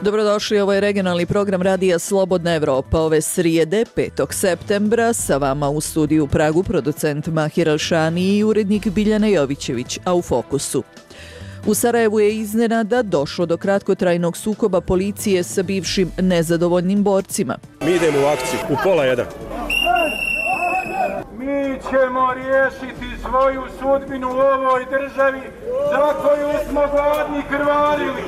Dobrodošli, ovo je regionalni program radija Slobodna Evropa. Ove srijede, 5. septembra, sa vama u studiju u Pragu producent Mahir Alšani i urednik Biljana Jovićević, a u fokusu. U Sarajevu je iznenada došlo do kratkotrajnog sukoba policije sa bivšim nezadovoljnim borcima. Mi idemo u akciju, u 12:30. Mi ćemo riješiti svoju sudbinu u ovoj državi za koju smo gladni krvarili.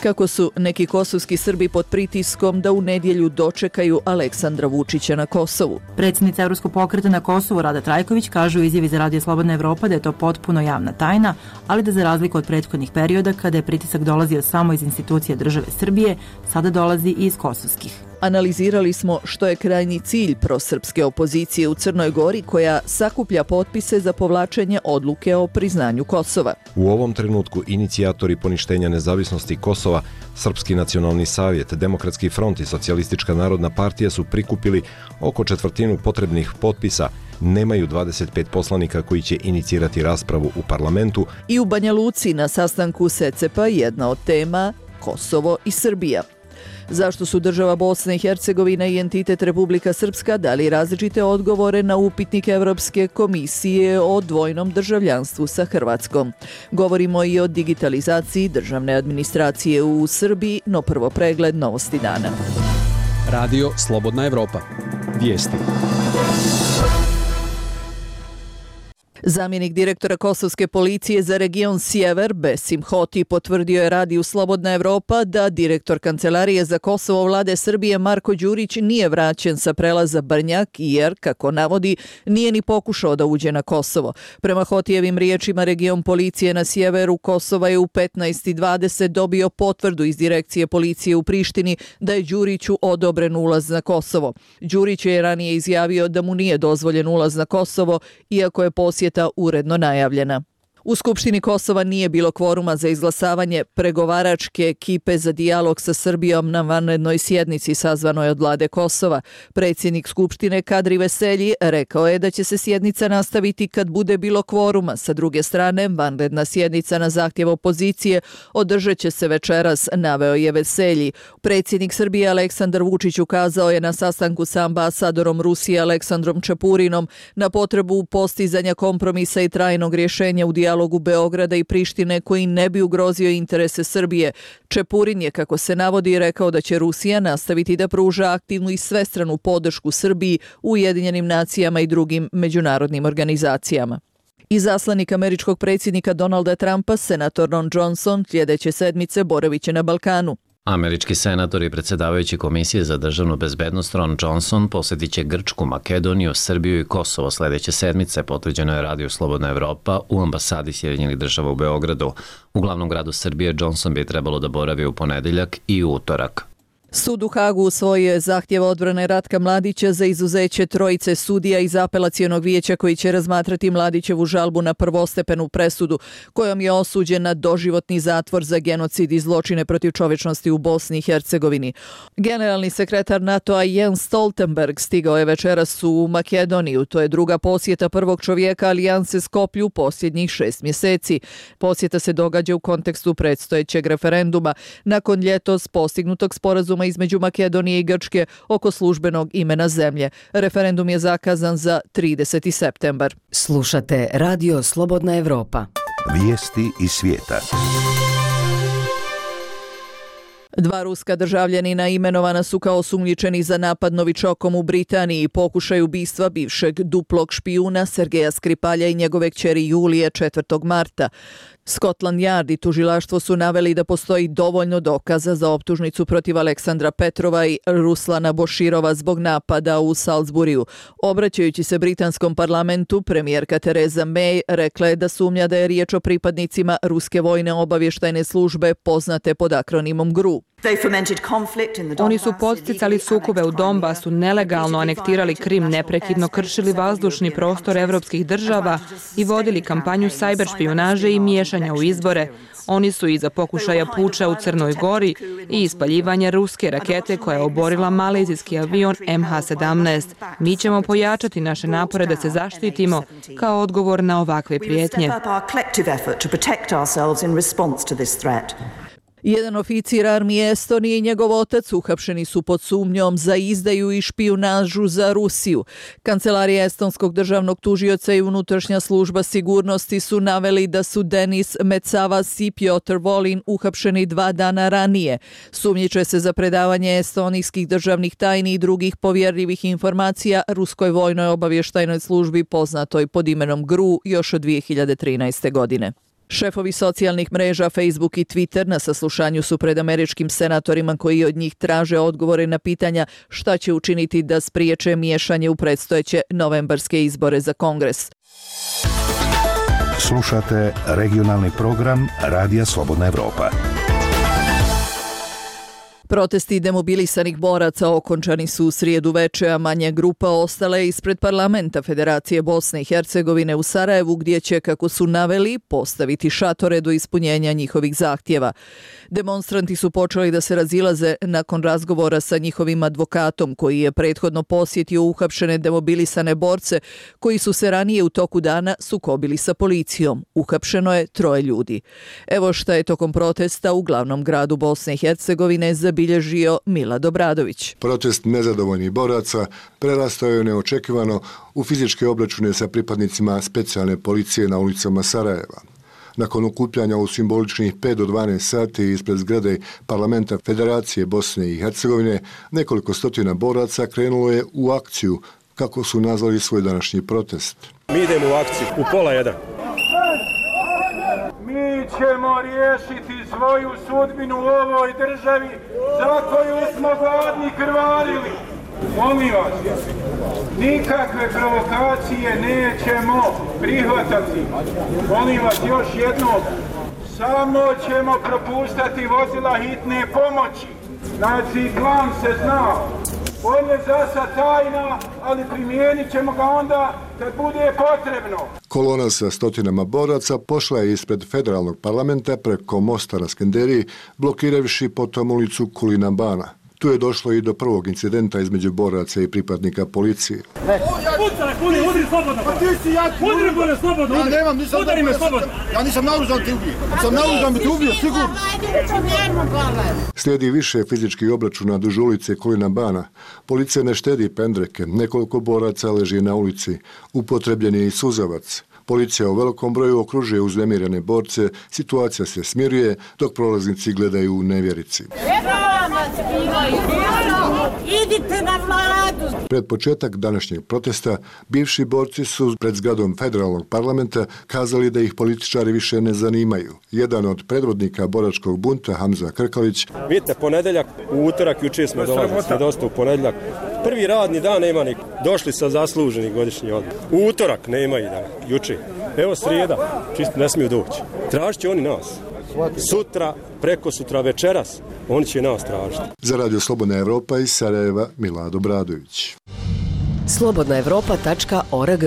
Kako su neki kosovski Srbi pod pritiskom da u nedjelju dočekaju Aleksandra Vučića na Kosovu. Predsjednica Evropskog pokreta na Kosovu Rada Trajković kaže u izjavi za Radio Slobodna Evropa da je to potpuno javna tajna, ali da za razliku od prethodnih perioda kada je pritisak dolazio samo iz institucije države Srbije, sada dolazi i iz kosovskih. Analizirali smo što je krajnji cilj prosrpske opozicije u Crnoj Gori koja sakuplja potpise za povlačenje odluke o priznanju Kosova. U ovom trenutku inicijatori poništenja nezavisnosti Kosova, Srpski nacionalni savjet, Demokratski front i Socijalistička narodna partija su prikupili oko četvrtinu potrebnih potpisa. Nemaju 25 poslanika koji će inicirati raspravu u parlamentu. I u Banja Luci na sastanku SECEP-a jedna od tema Kosovo i Srbija. Zašto su država Bosna i Hercegovina i entitet Republika Srpska dali različite odgovore na upitnik Evropske komisije o dvojnom državljanstvu sa Hrvatskom? Govorimo i o digitalizaciji državne administracije u Srbiji, no prvo pregled novosti dana. Radio Slobodna Evropa. Vijesti. Zamjenik direktora kosovske policije za region Sjever, Besim Hoti, potvrdio je Radiju Slobodna Evropa da direktor Kancelarije za Kosovo vlade Srbije Marko Đurić nije vraćen sa prelaza Brnjak jer, kako navodi, nije ni pokušao da uđe na Kosovo. Prema Hotijevim riječima, region policije na sjeveru Kosova je u 15:20 dobio potvrdu iz direkcije policije u Prištini da je Đuriću odobren ulaz na Kosovo. Đurić je ranije izjavio da mu nije dozvoljen ulaz na Kosovo, iako je posjet uredno najavljena. U Skupštini Kosova nije bilo kvoruma za izglasavanje pregovaračke ekipe za dijalog sa Srbijom na vanrednoj sjednici sazvanoj od vlade Kosova. Predsjednik Skupštine Kadri Veselji rekao je da će se sjednica nastaviti kad bude bilo kvoruma. Sa druge strane, vanredna sjednica na zahtjev opozicije održat će se večeras, naveo je Veselji. Predsjednik Srbije Aleksandar Vučić ukazao je na sastanku sa ambasadorom Rusije Aleksandrom Čepurinom na potrebu postizanja kompromisa i trajnog rješenja u dijalogu Beograda i Prištine koji ne bi ugrozio interese Srbije. Čepurin je, kako se navodi, rekao da će Rusija nastaviti da pruža aktivnu i svestranu podršku Srbiji u Ujedinjenim nacijama i drugim međunarodnim organizacijama. Izaslanik američkog predsjednika Donalda Trumpa, senator Ron Johnson, sljedeće sedmice boravit će na Balkanu. Američki senator i predsjedavajući Komisije za državnu bezbednost Ron Johnson posjetit će Grčku, Makedoniju, Srbiju i Kosovo sljedeće sedmice, potvrđeno je Radio Slobodna Evropa u ambasadi Sjedinjenih država u Beogradu. U glavnom gradu Srbije Johnson bi trebalo da boravi u ponedjeljak i u utorak. Sud u Hagu usvojio je zahtjev odbrane Ratka Mladića za izuzeće trojice sudija iz apelacionog vijeća koji će razmatrati Mladićevu žalbu na prvostepenu presudu kojom je osuđen na doživotni zatvor za genocid i zločine protiv čovječnosti u Bosni i Hercegovini. Generalni sekretar NATO-a Jens Stoltenberg stigao je večeras u Makedoniju. To je druga posjeta prvog čovjeka alijanse Skoplju posljednjih 6 mjeseci. Posjeta se događa u kontekstu predstojećeg referenduma nakon ljetos postignutog sporazuma između Makedonije i Grčke oko službenog imena zemlje. Referendum je zakazan za 30. septembar. Slušate Radio Slobodna Evropa. Vijesti iz svijeta. Dva ruska državljanina imenovana su kao osumnjičeni za napad novičokom u Britaniji i pokušaj ubistva bivšeg duplog špijuna Sergeja Skripalja i njegove kćeri Julije 4. marta. Scotland Yard i tužilaštvo su naveli da postoji dovoljno dokaza za optužnicu protiv Aleksandra Petrova i Ruslana Boširova zbog napada u Salisburiju. Obraćajući se britanskom parlamentu, premijerka Theresa May rekla je da sumnja da je riječ o pripadnicima ruske vojne obavještajne službe poznate pod akronimom GRU. Oni su podsticali sukobe u Donbasu, nelegalno anektirali Krim, neprekidno kršili vazdušni prostor evropskih država i vodili kampanju sajber špijunaže i miješanja u izbore. Oni su iza pokušaja puča u Crnoj Gori i ispaljivanja ruske rakete koja je oborila malezijski avion MH17. Mi ćemo pojačati naše napore da se zaštitimo kao odgovor na ovakve prijetnje. Jedan oficir armije Estonije i njegov otac uhapšeni su pod sumnjom za izdaju i špijunažu za Rusiju. Kancelarija estonskog državnog tužioca i unutrašnja služba sigurnosti su naveli da su Denis Metsavas i Piotr Volin uhapšeni 2 dana ranije. Sumnjiče se za predavanje estonijskih državnih tajni i drugih povjerljivih informacija ruskoj vojnoj obavještajnoj službi poznatoj pod imenom GRU još od 2013. godine. Šefovi socijalnih mreža Facebook i Twitter na saslušanju su pred američkim senatorima koji od njih traže odgovore na pitanja šta će učiniti da spriječe miješanje u predstojeće novembarske izbore za Kongres. Slušate regionalni program Radija Slobodna Evropa. Protesti demobilisanih boraca okončani su u srijedu veče, a manja grupa ostala je ispred parlamenta Federacije Bosne i Hercegovine u Sarajevu, gdje će, kako su naveli, postaviti šatore do ispunjenja njihovih zahtjeva. Demonstranti su počeli da se razilaze nakon razgovora sa njihovim advokatom, koji je prethodno posjetio uhapšene demobilisane borce koji su se ranije u toku dana sukobili sa policijom. Uhapšeno je 3 ljudi. Evo šta je tokom protesta u glavnom gradu Bosne i Hercegovine zabilježio Milad Obradović. Protest nezadovoljnih boraca prerastao je neočekivano u fizičke obračune sa pripadnicima specijalne policije na ulicama Sarajeva. Nakon okupljanja u simboličnih 5 do 12 sati ispred zgrade parlamenta Federacije Bosne i Hercegovine, nekoliko stotina boraca krenulo je u akciju, kako su nazvali svoj današnji protest. Mi idemo u akciju u 12:30. Mi ćemo riješiti svoju sudbinu u ovoj državi za koju smo gladni krvarili. Molim vas, nikakve provokacije nećemo prihvatati. Molim vas još jednom, samo ćemo propuštati vozila hitne pomoći. Znači, plan se zna. On je za sad tajna, ali primijenit ćemo ga onda kad bude potrebno. Kolona sa stotinama boraca pošla je ispred federalnog parlamenta preko mosta na Skenderiji, blokiravši potom ulicu Kulina Bana. Tu je došlo i do prvog incidenta između boraca i pripadnika policije. Udri slobodno! Pa ti si jak! Udri bolje slobodno! Ja nemam, udari me slobodno! Ja nisam naoružan te ubije! Sam naoružan bi te ubio, sigurno! Slijedi više fizičkih obračuna duž ulice Kulina Bana. Policija ne štedi pendreke, nekoliko boraca leži na ulici. Upotrebljen je i suzavac. Policija u velikom broju okružuje uznemirene borce, situacija se smiruje, dok prolaznici gledaju u nevjerici. Idite na vladu! Pred početak današnjeg protesta, bivši borci su pred zgradom federalnog parlamenta kazali da ih političari više ne zanimaju. Jedan od predvodnika boračkog bunta, Hamza Krkalić: Vidite, ponedeljak, u utorak, jučer smo dolazili, smo dosta u ponedeljak. Prvi radni dan nema niko. Došli sa zasluženi godišnji odmor. U utorak nema i dan, jučer. Evo srijeda, čisto ne smiju doći. Tražit će oni nas. Sutra, preko sutra, večeras, oni će nas tražiti. Za Radio Slobodna Evropa iz Sarajeva, Milad Obradović. slobodnaevropa.org.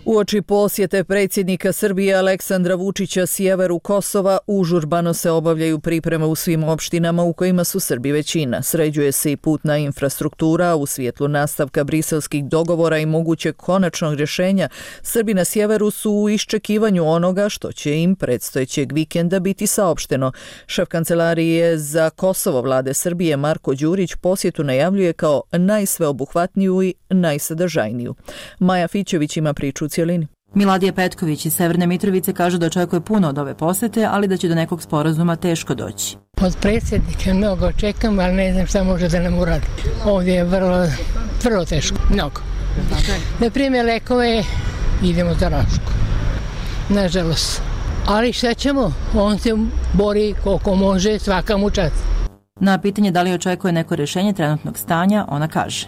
Uoči posjete predsjednika Srbije Aleksandra Vučića sjeveru Kosova, užurbano se obavljaju pripreme u svim opštinama u kojima su Srbi većina. Sređuje se i putna infrastruktura u svjetlu nastavka briselskih dogovora i mogućeg konačnog rješenja. Srbi na sjeveru su u iščekivanju onoga što će im predstojećeg vikenda biti saopšteno. Šef kancelarije za Kosovo vlade Srbije Marko Đurić posjetu najavljuje kao najsveobuhvatniju i najsadržajniju. Maja Fićević ima priču u cijelini. Miladija Petković iz Severne Mitrovice kaže da očekuje puno od ove posete, ali da će do nekog sporazuma teško doći. Od predsjednika mnogo čekam, ali ne znam šta može da nam uradi. Ovdje je vrlo teško, mnogo. Na primjer, lekove idemo za Rašku, nažalost. Ali šta ćemo? On se bori koliko može, svaka mu čast. Na pitanje da li očekuje neko rješenje trenutnog stanja, ona kaže: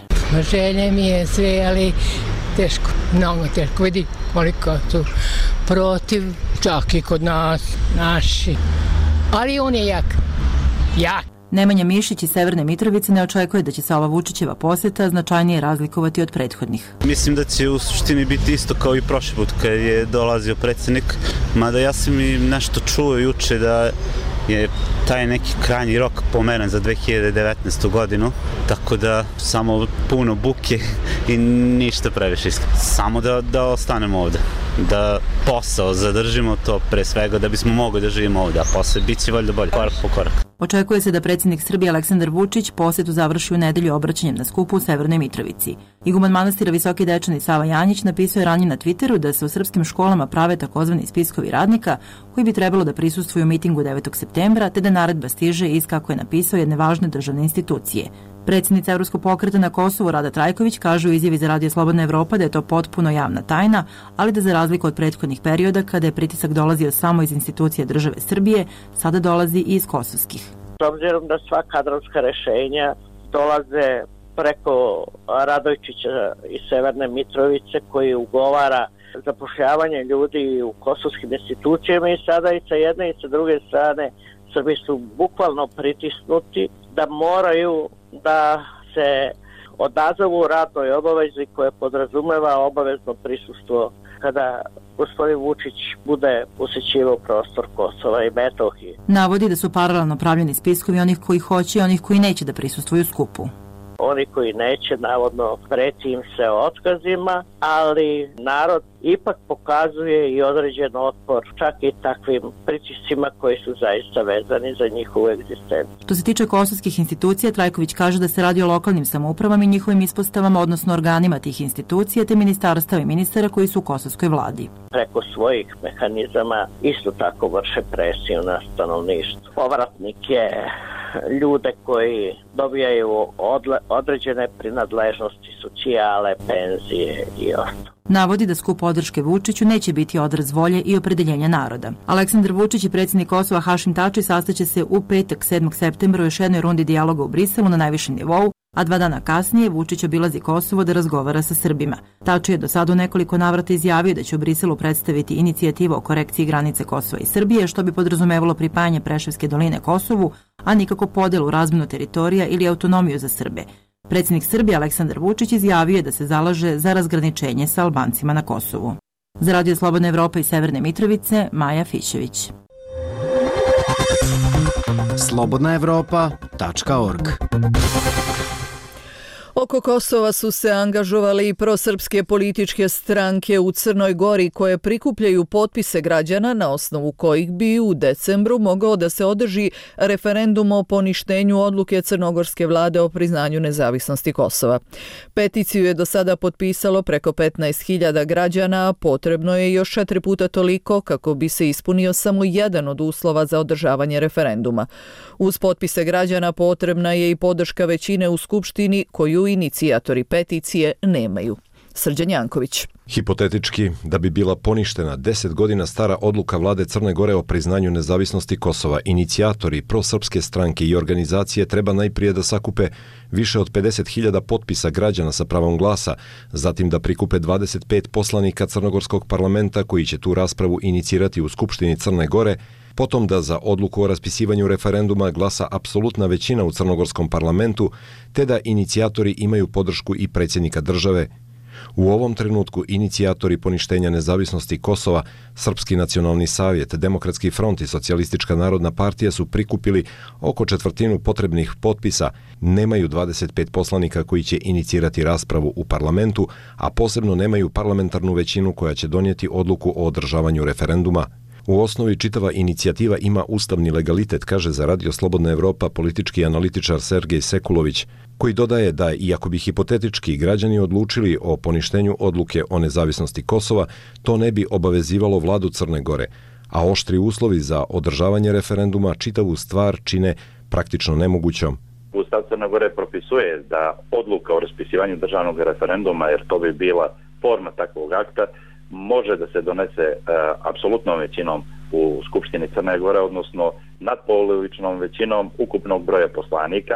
Želje mi je sve, ali teško, mnogo teško. Vidi koliko su protiv, čak i kod nas, naši. Ali on je jak. Nemanja Mišić iz Severne Mitrovice ne očekuje da će se ova Vučićeva posjeta značajnije razlikovati od prethodnih. Mislim da će u suštini biti isto kao i prošli put kad je dolazio predsjednik, mada ja sam i nešto čuo juče da je taj neki krajnji rok pomeren za 2019. godinu, tako da samo puno buke i ništa previše. Samo da ostanemo ovde, da posao zadržimo, to pre svega da bismo mogli da živimo ovde, a posle bit će valjda bolje, korak po korak. Očekuje se da predsjednik Srbije Aleksandar Vučić posetu završi u nedelju obraćanjem na skupu u Severnoj Mitrovici. Iguman manastira Visoki Dečani Sava Janjić napisao je ranije na Twitteru da se u srpskim školama prave takozvani spiskovi radnika koji bi trebalo da prisustvuju mitingu 9. septembra, te da naredba stiže iz, kako je napisao, jedne važne državne institucije. Predsjednica Evropskog pokreta na Kosovu Rada Trajković kaže u izjavi za Radio Slobodna Evropa da je to potpuno javna tajna, ali da za razliku od prethodnih perioda kada je pritisak dolazio samo iz institucija države Srbije, sada dolazi i iz kosovskih. S obzirom da sva kadrovska rešenja dolaze preko Radojčića iz Severne Mitrovice koji ugovara zapošljavanje ljudi u kosovskim institucijama i sada i sa jedne i sa druge strane Srbi su bukvalno pritisnuti da moraju da se odazovu radnoj obavezi koje podrazumeva obavezno prisustvo kada gospodin Vučić bude posećivao prostor Kosova i Metohije. Navodi da su paralelno pravljeni spiskovi onih koji hoće i onih koji neće da prisustvuju skupu. Oni koji neće, navodno, preti im se otkazima, ali narod ipak pokazuje i određen otpor čak i takvim pritiscima koji su zaista vezani za njihovu egzistenciju. Što se tiče kosovskih institucija, Trajković kaže da se radi o lokalnim samoupravama i njihovim ispostavama, odnosno organima tih institucija, te ministarstava i ministara koji su u kosovskoj vladi. Preko svojih mehanizama isto tako vrše presiju na stanovništvo. Povratnike, ljude koji dobijaju određene prinadležnosti, socijale, penzije i ostalo. Navodi da skup podrške Vučiću neće biti odraz volje i opredeljenja naroda. Aleksandar Vučić i predsjednik Kosova Hašim Tači sastaće se u petak 7. septembra u još jednoj rundi dijaloga u Briselu na najvišem nivou, a 2 dana kasnije Vučić obilazi Kosovo da razgovara sa Srbima. Tači je do sada u nekoliko navrata izjavio da će u Briselu predstaviti inicijativu o korekciji granice Kosova i Srbije, što bi podrazumevalo pripajanje Preševske doline Kosovu, a nikako podelu, razmenu teritorija ili autonomiju za Srbe. Predsjednik Srbije Aleksandar Vučić izjavio je da se zalaže za razgraničenje sa Albancima na Kosovu. Za Radio Slobodna Evropa iz Severne Mitrovice, Maja Fićević. slobodnaevropa.org. Oko Kosova su se angažovali i prosrpske političke stranke u Crnoj Gori koje prikupljaju potpise građana na osnovu kojih bi u decembru mogao da se održi referendum o poništenju odluke crnogorske vlade o priznanju nezavisnosti Kosova. Peticiju je do sada potpisalo preko 15.000 građana, a potrebno je još 4 puta toliko kako bi se ispunio samo jedan od uslova za održavanje referenduma. Uz potpise građana potrebna je i podrška većine u Skupštini koju inicijatori peticije nemaju. Srđan Janković. Hipotetički, da bi bila poništena 10 godina stara odluka vlade Crne Gore o priznanju nezavisnosti Kosova, inicijatori prosrpske stranke i organizacije treba najprije da sakupe više od 50.000 potpisa građana sa pravom glasa, zatim da prikupe 25 poslanika crnogorskog parlamenta koji će tu raspravu inicirati u Skupštini Crne Gore, potom da za odluku o raspisivanju referenduma glasa apsolutna većina u crnogorskom parlamentu, te da inicijatori imaju podršku i predsjednika države. U ovom trenutku inicijatori poništenja nezavisnosti Kosova, Srpski nacionalni savjet, Demokratski front i Socijalistička narodna partija su prikupili oko četvrtinu potrebnih potpisa, nemaju 25 poslanika koji će inicirati raspravu u parlamentu, a posebno nemaju parlamentarnu većinu koja će donijeti odluku o održavanju referenduma. U osnovi čitava inicijativa ima ustavni legalitet, kaže za Radio Slobodna Evropa politički analitičar Sergej Sekulović, koji dodaje da iako bi hipotetički građani odlučili o poništenju odluke o nezavisnosti Kosova, to ne bi obavezivalo vladu Crne Gore, a oštri uslovi za održavanje referenduma čitavu stvar čine praktično nemogućom. Ustav Crne Gore propisuje da odluka o raspisivanju državnog referenduma, jer to bi bila forma takvog akta, može da se donese apsolutnom većinom u Skupštini Crne Gore, odnosno nadpolovičnom većinom ukupnog broja poslanika.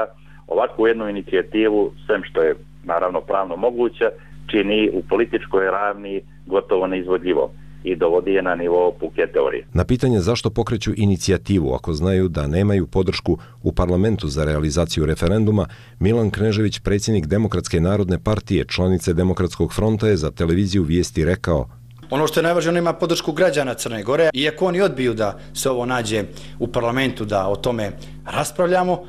Ovakvu jednu inicijativu, sem što je naravno pravno moguće, čini u političkoj ravni gotovo neizvodljivo i dovodi je na nivo puke teorije. Na pitanje zašto pokreću inicijativu ako znaju da nemaju podršku u parlamentu za realizaciju referenduma, Milan Knežević, predsjednik Demokratske narodne partije, članice Demokratskog fronta, je za televiziju Vijesti rekao: Ono što je najvažnije, on ima podršku građana Crne Gore. Iako oni odbiju da se ovo nađe u parlamentu, da o tome raspravljamo,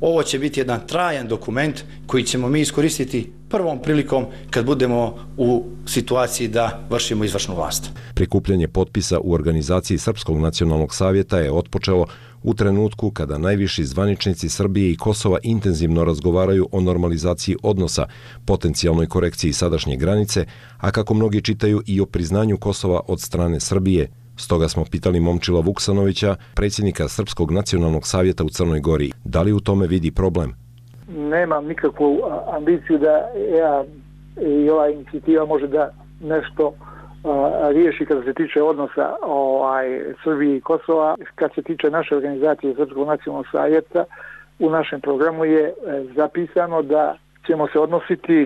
ovo će biti jedan trajan dokument koji ćemo mi iskoristiti prvom prilikom kad budemo u situaciji da vršimo izvršnu vlast. Prikupljanje potpisa u organizaciji Srpskog nacionalnog savjeta je otpočelo u trenutku kada najviši zvaničnici Srbije i Kosova intenzivno razgovaraju o normalizaciji odnosa, potencijalnoj korekciji sadašnje granice, a kako mnogi čitaju i o priznanju Kosova od strane Srbije. Stoga smo pitali Momčila Vuksanovića, predsjednika Srpskog nacionalnog savjeta u Crnoj Gori, da li u tome vidi problem? Nemam nikakvu ambiciju da ja i ova inicijativa može da nešto riješi kada se tiče odnosa Srbije i Kosova. Kad se tiče naše organizacije Srpskog nacionalnog savjeta, u našem programu je zapisano da ćemo se odnositi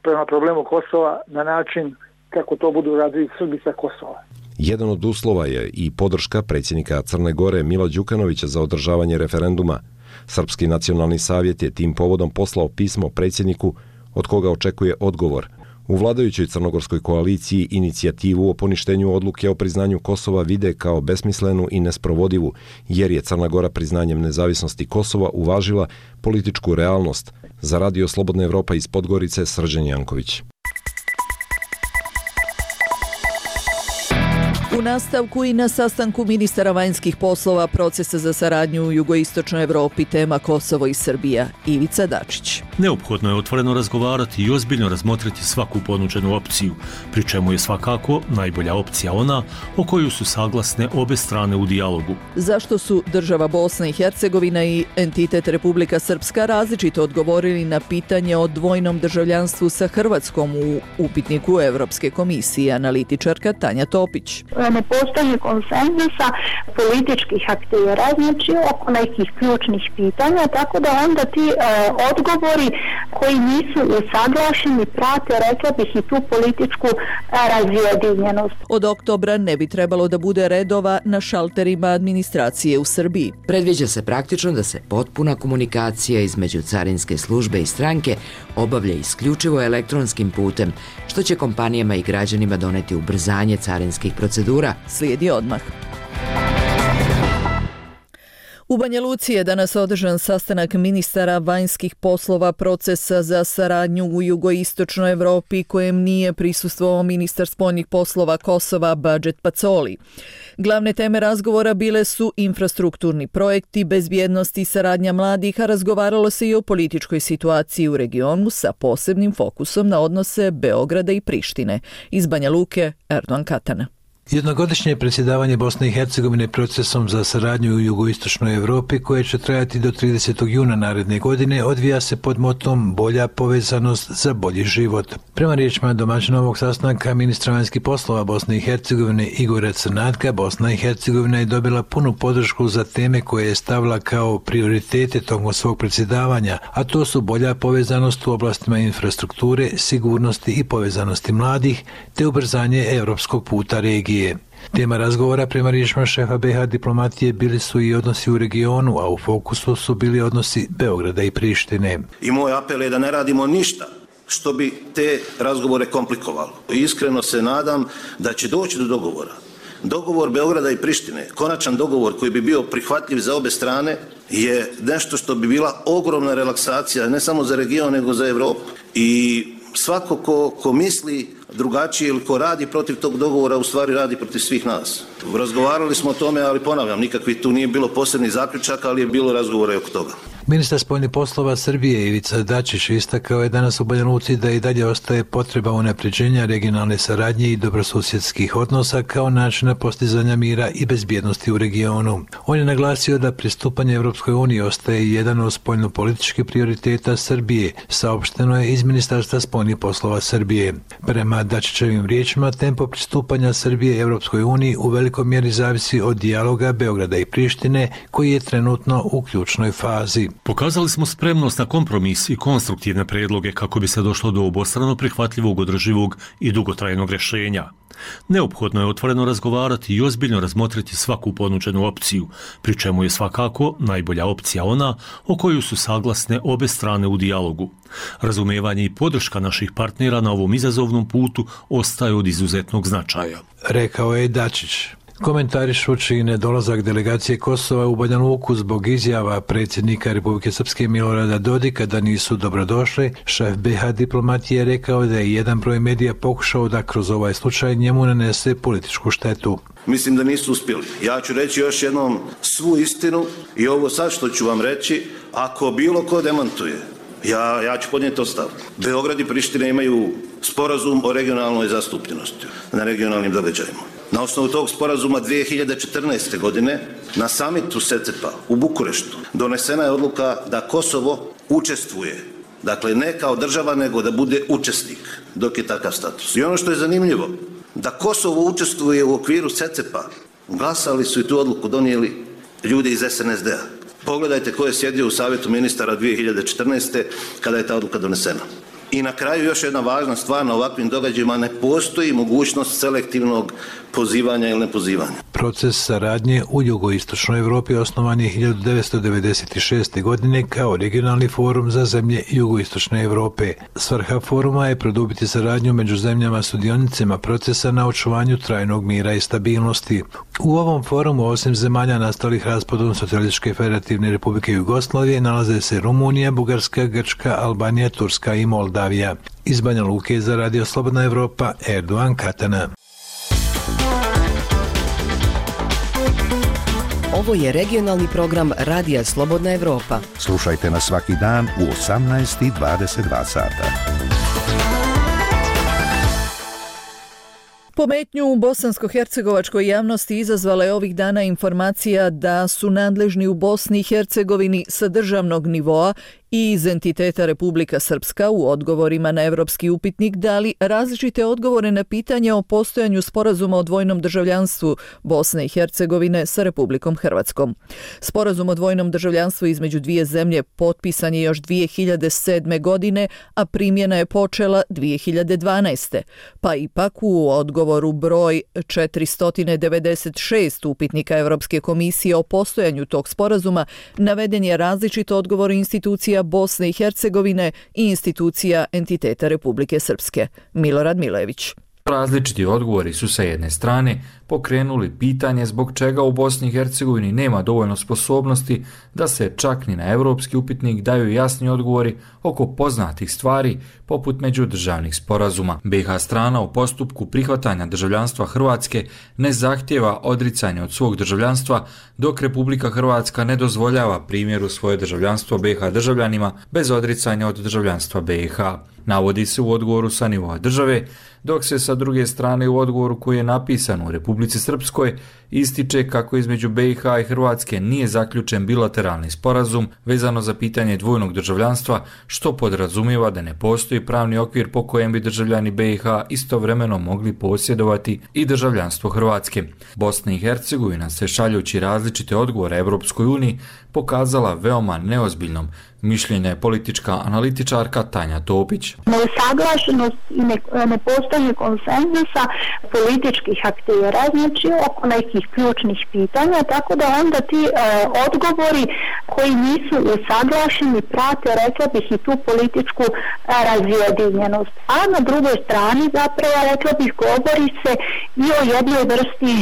prema problemu Kosova na način kako to budu radili Srbi sa Kosova. Jedan od uslova je i podrška predsjednika Crne Gore Mila Đukanovića za održavanje referenduma. Srpski nacionalni savjet je tim povodom poslao pismo predsjedniku od koga očekuje odgovor. U vladajućoj crnogorskoj koaliciji inicijativu o poništenju odluke o priznanju Kosova vide kao besmislenu i nesprovodivu, jer je Crna Gora priznanjem nezavisnosti Kosova uvažila političku realnost. Za Radio Slobodna Evropa iz Podgorice, Srđan Janković. U nastavku i na sastanku ministara vanjskih poslova procesa za saradnju u jugoistočnoj Evropi tema Kosovo i Srbija, Ivica Dačić. Neophodno je otvoreno razgovarati i ozbiljno razmotriti svaku ponuđenu opciju, pri čemu je svakako najbolja opcija ona o koju su saglasne obe strane u dijalogu. Zašto su država Bosna i Hercegovina i entitet Republika Srpska različito odgovorili na pitanje o dvojnom državljanstvu sa Hrvatskom u upitniku Evropske komisije, analitičarka Tanja Topić. Ne postoji konsenzusa političkih aktera, znači oko nekih ključnih pitanja, tako da onda ti odgovori koji nisu usaglašeni prate, rekla bih, i tu političku razjedinjenost. Od oktobra ne bi trebalo da bude redova na šalterima administracije u Srbiji. Predviđa se praktično da se potpuna komunikacija između carinske službe i stranke obavlja isključivo elektronskim putem, što će kompanijama i građanima doneti ubrzanje carinskih procedura. Slijedi odmah. U Banja Luci je danas održan sastanak ministara vanjskih poslova procesa za saradnju u jugoistočnoj Evropi kojem nije prisustvovao ministar spoljnih poslova Kosova Badžet Pacoli. Glavne teme razgovora bile su infrastrukturni projekti, bezbjednost i saradnja mladih, a razgovaralo se i o političkoj situaciji u regionu sa posebnim fokusom na odnose Beograda i Prištine. Iz Banja Luke, Erdogan Katana. Jednogodišnje predsjedavanje Bosne i Hercegovine procesom za saradnju u jugoistočnoj Evropi, koje će trajati do 30. juna naredne godine, odvija se pod motom bolja povezanost za bolji život. Prema riječima domaćina ovog sastanka ministra vanjskih poslova Bosne i Hercegovine Igora Crnatka, Bosna i Hercegovina je dobila punu podršku za teme koje je stavila kao prioritete tokom svog predsjedavanja, a to su bolja povezanost u oblastima infrastrukture, sigurnosti i povezanosti mladih, te ubrzanje europskog puta regije. Tema razgovora prema riječima šefa BiH diplomatije bili su i odnosi u regionu, a u fokusu su bili odnosi Beograda i Prištine. I moj apel je da ne radimo ništa što bi te razgovore komplikovalo. Iskreno se nadam da će doći do dogovora. Dogovor Beograda i Prištine, konačan dogovor koji bi bio prihvatljiv za obe strane, je nešto što bi bila ogromna relaksacija ne samo za region nego za Evropu. I svako ko misli drugačije ili ko radi protiv tog dogovora u stvari radi protiv svih nas. Razgovarali smo o tome, ali ponavljam, nikakvi tu nije bilo posebnih zaključaka, ali je bilo razgovora oko toga. Ministar spoljnih poslova Srbije Ivica Dačić istakao je danas u Banja Luci da i dalje ostaje potreba unapređenja regionalne saradnje i dobrosusjedskih odnosa kao načina postizanja mira i bezbjednosti u regionu. On je naglasio da pristupanje Evropskoj uniji ostaje jedan od spoljnopolitičkih prioriteta Srbije, saopšteno je iz Ministarstva spoljnih poslova Srbije. Prema Dačićevim riječima, tempo pristupanja Srbije Evropskoj uniji u velikoj mjeri zavisi od dijaloga Beograda i Prištine, koji je trenutno u ključnoj fazi. Pokazali smo spremnost na kompromis i konstruktivne predloge kako bi se došlo do obostrano prihvatljivog, održivog i dugotrajnog rješenja. Neophodno je otvoreno razgovarati i ozbiljno razmotriti svaku ponuđenu opciju, pri čemu je svakako najbolja opcija ona o koju su saglasne obe strane u dijalogu. Razumevanje i podrška naših partnera na ovom izazovnom putu ostaje od izuzetnog značaja. Rekao je Dačić. Komentarišući nedolazak delegacije Kosova u Banja Luku zbog izjava predsjednika Republike Srpske Milorada Dodika da nisu dobrodošli, šef BiH diplomatije je rekao da je jedan broj medija pokušao da kroz ovaj slučaj njemu nanese političku štetu. Mislim da nisu uspjeli. Ja ću reći još jednom svu istinu i ovo sad što ću vam reći, ako bilo ko demantuje, ja ću podnijeti ostavku. Beograd i Priština imaju sporazum o regionalnoj zastupljenosti na regionalnim događajima. Na osnovu tog sporazuma 2014. godine na samitu SECEP-a u Bukureštu donesena je odluka da Kosovo učestvuje, dakle ne kao država nego da bude učesnik dok je takav status. I ono što je zanimljivo, da Kosovo učestvuje u okviru SECEP-a, glasali su i tu odluku donijeli ljudi iz SNSD-a. Pogledajte ko je sjedio u savjetu ministara 2014. kada je ta odluka donesena. I na kraju još jedna važna stvar, na ovakvim događajima ne postoji mogućnost selektivnog pozivanja ili nepozivanja. Proces saradnje u jugoistočnoj Evropi osnovan je 1996. godine kao regionalni forum za zemlje jugoistočne Evrope. Svrha foruma je produbiti saradnju među zemljama sudionicima procesa na očuvanju trajnog mira i stabilnosti. U ovom forumu, osim zemalja nastalih raspadom Socijalističke federativne Republike Jugoslavije, nalaze se Rumunija, Bugarska, Grčka, Albanija, Turska i Moldavija. Iz Banja Luke za Radio Slobodna Evropa, Erdogan Katana. Ovo je regionalni program Radija Slobodna Evropa. Slušajte nas svaki dan u 18:22 sata. Pometnju u bosansko-hercegovačkoj javnosti izazvala je ovih dana informacija da su nadležni u Bosni i Hercegovini sa državnog nivoa i iz entiteta Republika Srpska u odgovorima na evropski upitnik dali različite odgovore na pitanje o postojanju sporazuma o dvojnom državljanstvu Bosne i Hercegovine sa Republikom Hrvatskom. Sporazum o dvojnom državljanstvu između dvije zemlje potpisan je još 2007. godine, a primjena je počela 2012. Pa ipak u odgovoru broj 496 upitnika Evropske komisije o postojanju tog sporazuma naveden je različit odgovor institucija Bosne i Hercegovine i institucija entiteta Republike Srpske. Milorad Milević. Različiti odgovori su sa jedne strane pokrenuli pitanje zbog čega u Bosni i Hercegovini nema dovoljno sposobnosti da se čak ni na evropski upitnik daju jasni odgovori oko poznatih stvari poput međudržavnih sporazuma. BiH strana u postupku prihvatanja državljanstva Hrvatske ne zahtjeva odricanje od svog državljanstva, dok Republika Hrvatska ne dozvoljava primjeru svoje državljanstvo BiH državljanima bez odricanja od državljanstva BiH. Navodi se u odgovoru sa nivoa države, dok se sa druge strane u odgovoru koji je napisan u Republici Srpskoj ističe kako između BiH i Hrvatske nije zaključen bilateralni sporazum vezano za pitanje dvojnog državljanstva, što podrazumijeva da ne postoji pravni okvir po kojem bi državljani BiH istovremeno mogli posjedovati i državljanstvo Hrvatske. Bosna i Hercegovina se šaljući različite odgovore Evropskoj uniji pokazala veoma neozbiljnom, mišljenja je politička analitičarka Tanja Topić. Neusaglašenost i nepostojanje konsenzusa političkih aktera, znači oko nekih ključnih pitanja, tako da onda ti odgovori koji nisu usaglašeni prate, rekla bih, i tu političku razjedinjenost. A na drugoj strani zapravo, rekla bih, govori se i o jednoj vrsti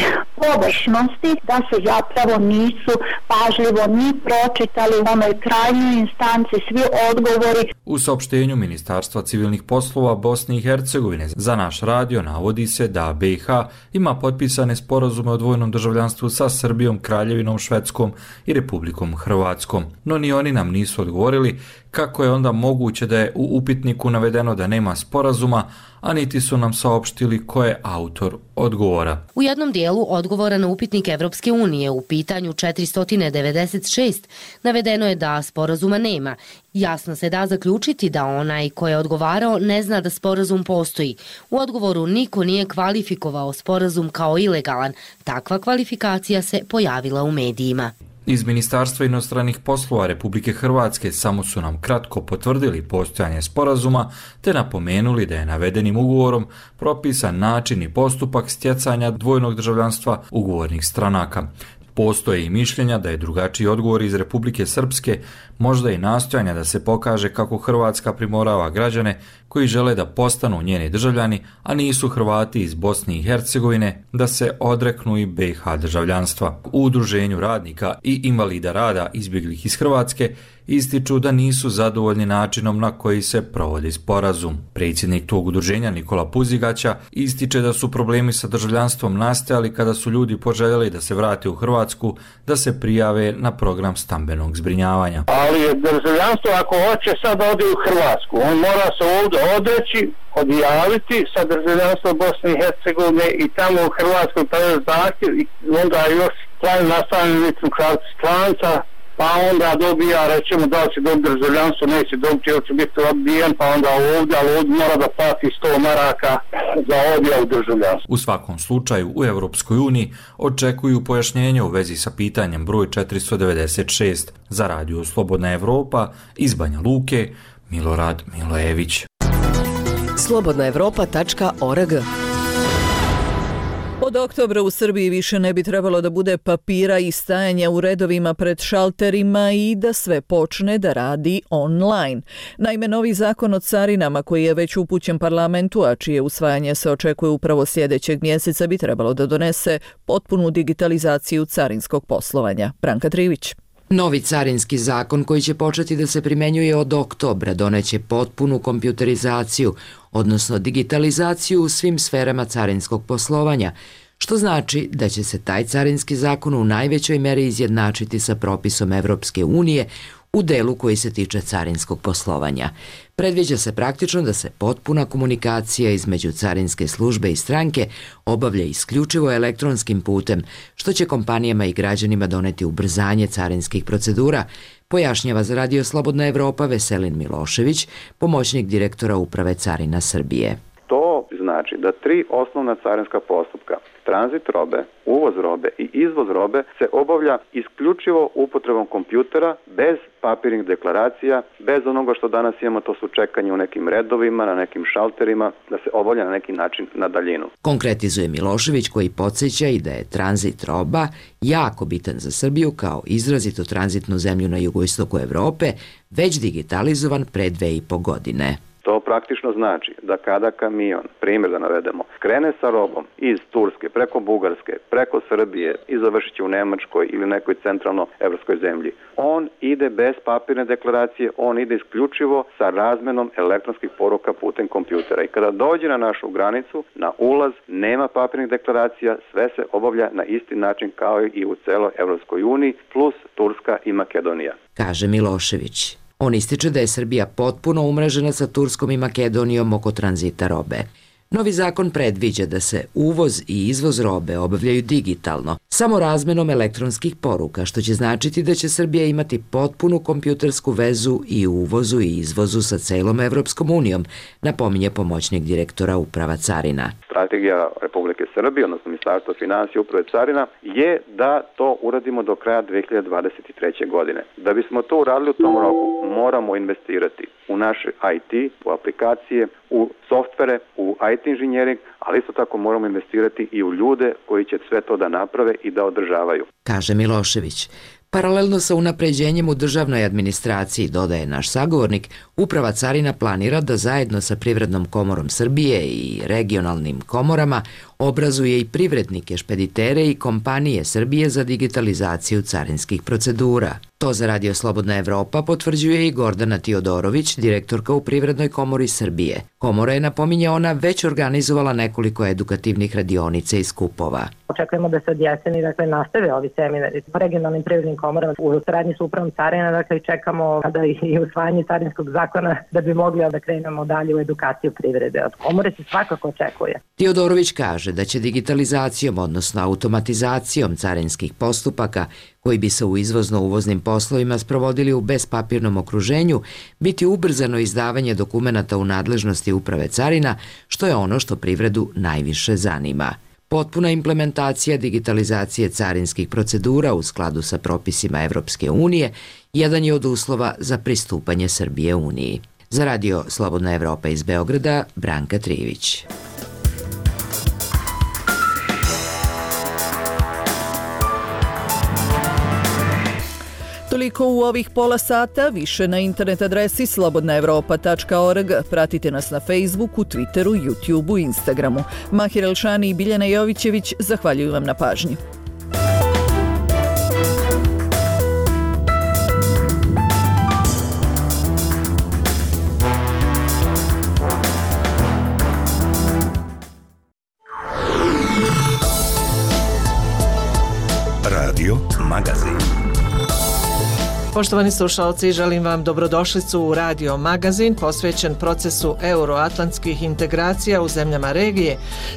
površnosti, da se zapravo nisu pažljivo ni pročitali u onoj krajnjoj instanci svi odgovori. U saopštenju Ministarstva civilnih poslova Bosne i Hercegovine za naš radio navodi se da BiH ima potpisane sporazume o dvojnom državljanstvu sa Srbijom, Kraljevinom Švedskom i Republikom Hrvatskom. No ni oni nam nisu odgovorili kako je onda moguće da je u upitniku navedeno da nema sporazuma, a niti su nam saopštili ko je autor odgovora. U jednom dijelu odgovora na upitnik Evropske unije u pitanju 496 navedeno je da sporazuma nema. Jasno se da zaključiti da onaj ko je odgovarao ne zna da sporazum postoji. U odgovoru niko nije kvalifikovao sporazum kao ilegalan. Takva kvalifikacija se pojavila u medijima. Iz Ministarstva inostranih poslova Republike Hrvatske samo su nam kratko potvrdili postojanje sporazuma te napomenuli da je navedenim ugovorom propisan način i postupak stjecanja dvojnog državljanstva ugovornih stranaka. Postoje i mišljenja da je drugačiji odgovor iz Republike Srpske, možda i nastojanja da se pokaže kako Hrvatska primorava građane koji žele da postanu njeni državljani, a nisu Hrvati iz Bosne i Hercegovine, da se odreknu i BiH državljanstva. U Udruženju radnika i invalida rada izbjeglih iz Hrvatske ističu da nisu zadovoljni načinom na koji se provodi sporazum. Predsjednik tog udruženja Nikola Puzigaća ističe da su problemi sa državljanstvom nastajali kada su ljudi poželjeli da se vrate u Hrvatsku, da se prijave na program stambenog zbrinjavanja. Ali državljanstvo ako hoće sad odi u Hrvatsku, on mora se ovdje odreći, odjaviti sa državljanstvom Bosne i Hercegovine i tamo u Hrvatskoj predati zahtjev i onda još trajno nastavljeni ličnu kartu stranca, pa onda dobija, rećemo da li će dobiti državljanstvo, neće dobiti, ili će biti odbijen, pa onda ovdje, ali ovdje mora da plati 100 maraka za odjavu državljanstva. U svakom slučaju u Europskoj uniji očekuju pojašnjenje u vezi sa pitanjem broj 496. Za Radio Slobodna Evropa iz Banja Luke, Milorad Milojević. slobodnaevropa.org. Od oktobra u Srbiji više ne bi trebalo da bude papira i stajanja u redovima pred šalterima i da sve počne da radi online. Naime, novi zakon o carinama koji je već upućen parlamentu, a čije usvajanje se očekuje upravo sljedećeg mjeseca, bi trebalo da donese potpunu digitalizaciju carinskog poslovanja. Branka Trivić. Novi carinski zakon koji će početi da se primjenjuje od oktobra doneće potpunu kompjuterizaciju, odnosno digitalizaciju u svim sferama carinskog poslovanja, što znači da će se taj carinski zakon u najvećoj meri izjednačiti sa propisom Evropske unije u delu koji se tiče carinskog poslovanja. Predviđa se praktično da se potpuna komunikacija između carinske službe i stranke obavlja isključivo elektronskim putem, što će kompanijama i građanima doneti ubrzanje carinskih procedura, pojašnjava za Radio Slobodna Evropa Veselin Milošević, pomoćnik direktora Uprave carina Srbije. To znači da 3 osnovna carinska postupka, tranzit robe, uvoz robe i izvoz robe, se obavlja isključivo upotrebom kompjutera, bez papirnih deklaracija, bez onoga što danas imamo, to su čekanje u nekim redovima, na nekim šalterima, da se obavlja na neki način na daljinu. Konkretizuje Milošević, koji podsjeća i da je tranzit roba jako bitan za Srbiju kao izrazito tranzitnu zemlju na jugoistoku Evrope, već digitalizovan pre 2,5 godine. To praktično znači da kada kamion, primjer da navedemo, krene sa robom iz Turske, preko Bugarske, preko Srbije i završit će u Nemačkoj ili nekoj centralno-evropskoj zemlji, on ide bez papirne deklaracije, on ide isključivo sa razmenom elektronskih poruka putem kompjutera. I kada dođe na našu granicu, na ulaz, nema papirnih deklaracija, sve se obavlja na isti način kao i u celoj Evropskoj uniji, plus Turska i Makedonija. Kaže Milošević. On ističe da je Srbija potpuno umrežena sa Turskom i Makedonijom oko tranzita robe. Novi zakon predviđa da se uvoz i izvoz robe obavljaju digitalno, samo razmenom elektronskih poruka, što će značiti da će Srbija imati potpunu kompjutersku vezu i u uvozu i izvozu sa celom Evropskom unijom, napominje pomoćnik direktora Uprava carina. Strategija Republike Srbije, odnosno Ministarstva finansija i Uprave carina, je da to uradimo do kraja 2023. godine. Da bismo to uradili u tom roku, moramo investirati u naše IT, u aplikacije, u softvere, u IT inženjering, ali isto tako moramo investirati i u ljude koji će sve to da naprave i da održavaju. Kaže Milošević. Paralelno sa unapređenjem u državnoj administraciji, dodaje naš sagovornik, Uprava carina planira da zajedno sa Privrednom komorom Srbije i regionalnim komorama obrazuje i privrednike, špeditere i kompanije Srbije za digitalizaciju carinskih procedura. To za Radio Slobodna Evropa potvrđuje i Gordana Tiodorović, direktorka u Privrednoj komori Srbije. Komora je, napominje ona, već organizovala nekoliko edukativnih radionica i skupova. Očekujemo da se od jeseni nastave ovi seminari po regionalnim privrednim komorama u saradnji sa Upravom carina, i čekamo kada i usvajanje carinskog zakona da bi mogli da krenemo dalje u edukaciju privrede. Od komore se svakako očekuje. Tiodorović kaže da će digitalizacijom, odnosno automatizacijom carinskih postupaka, koji bi se u izvozno-uvoznim poslovima sprovodili u bespapirnom okruženju, biti ubrzano izdavanje dokumenata u nadležnosti Uprave carina, što je ono što privredu najviše zanima. Potpuna implementacija digitalizacije carinskih procedura u skladu sa propisima Evropske unije jedan je od uslova za pristupanje Srbije Uniji. Za Radio Slobodna Evropa iz Beograda, Branka Trivić. Toliko u ovih pola sata, više na internet adresi slobodnaevropa.org. Pratite nas na Facebooku, Twitteru, YouTubeu i Instagramu. Mahir Elšani i Biljana Jovićević zahvaljuju vam na pažnji. Radio Magazin. Poštovani slušalci, želim vam dobrodošlicu u Radio Magazin posvećen procesu euroatlantskih integracija u zemljama regije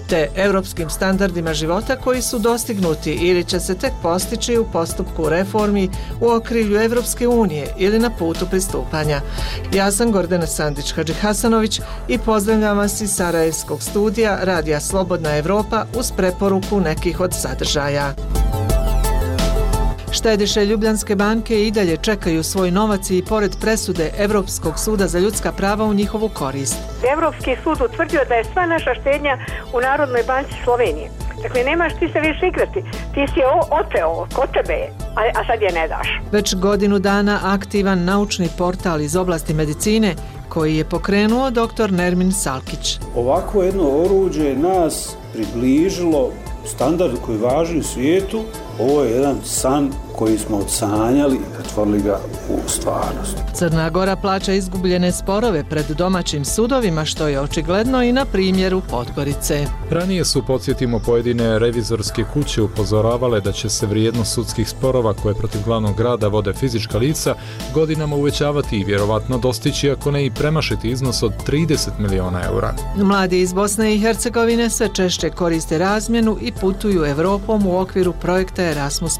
te europskim standardima života koji su dostignuti ili će se tek postići u postupku reformi u okrilju Evropske unije ili na putu pristupanja. Ja sam Gordana Sandić-Hadžihasanović i pozdravljam vas iz Sarajevskog studija Radija Slobodna Evropa uz preporuku nekih od sadržaja. Štediše Ljubljanske banke i dalje čekaju svoj novac i pored presude Evropskog suda za ljudska prava u njihovu korist. Evropski sud utvrdio da je sva naša štednja u Narodnoj banci Slovenije. Dakle, nemaš ti se više igrati. Ti si je oteo kod tebe, a sad je ne daš. Već godinu dana aktivan naučni portal iz oblasti medicine koji je pokrenuo dr. Nermin Salkić. Ovako jedno oruđe nas približilo standardu koji važi u svijetu. Ovo je jedan san koji smo odsanjali i pretvorili ga u stvarnost. Crna Gora plaća izgubljene sporove pred domaćim sudovima, što je očigledno i na primjeru Podgorice. Ranije su, podsjetimo, pojedine revizorske kuće upozoravale da će se vrijednost sudskih sporova koje protiv glavnog grada vode fizička lica godinama uvećavati i vjerovatno dostići, ako ne i premašiti iznos od 30 miliona eura. Mladi iz Bosne i Hercegovine sve češće koriste razmjenu i putuju Evropom u okviru projekta Erasmus+.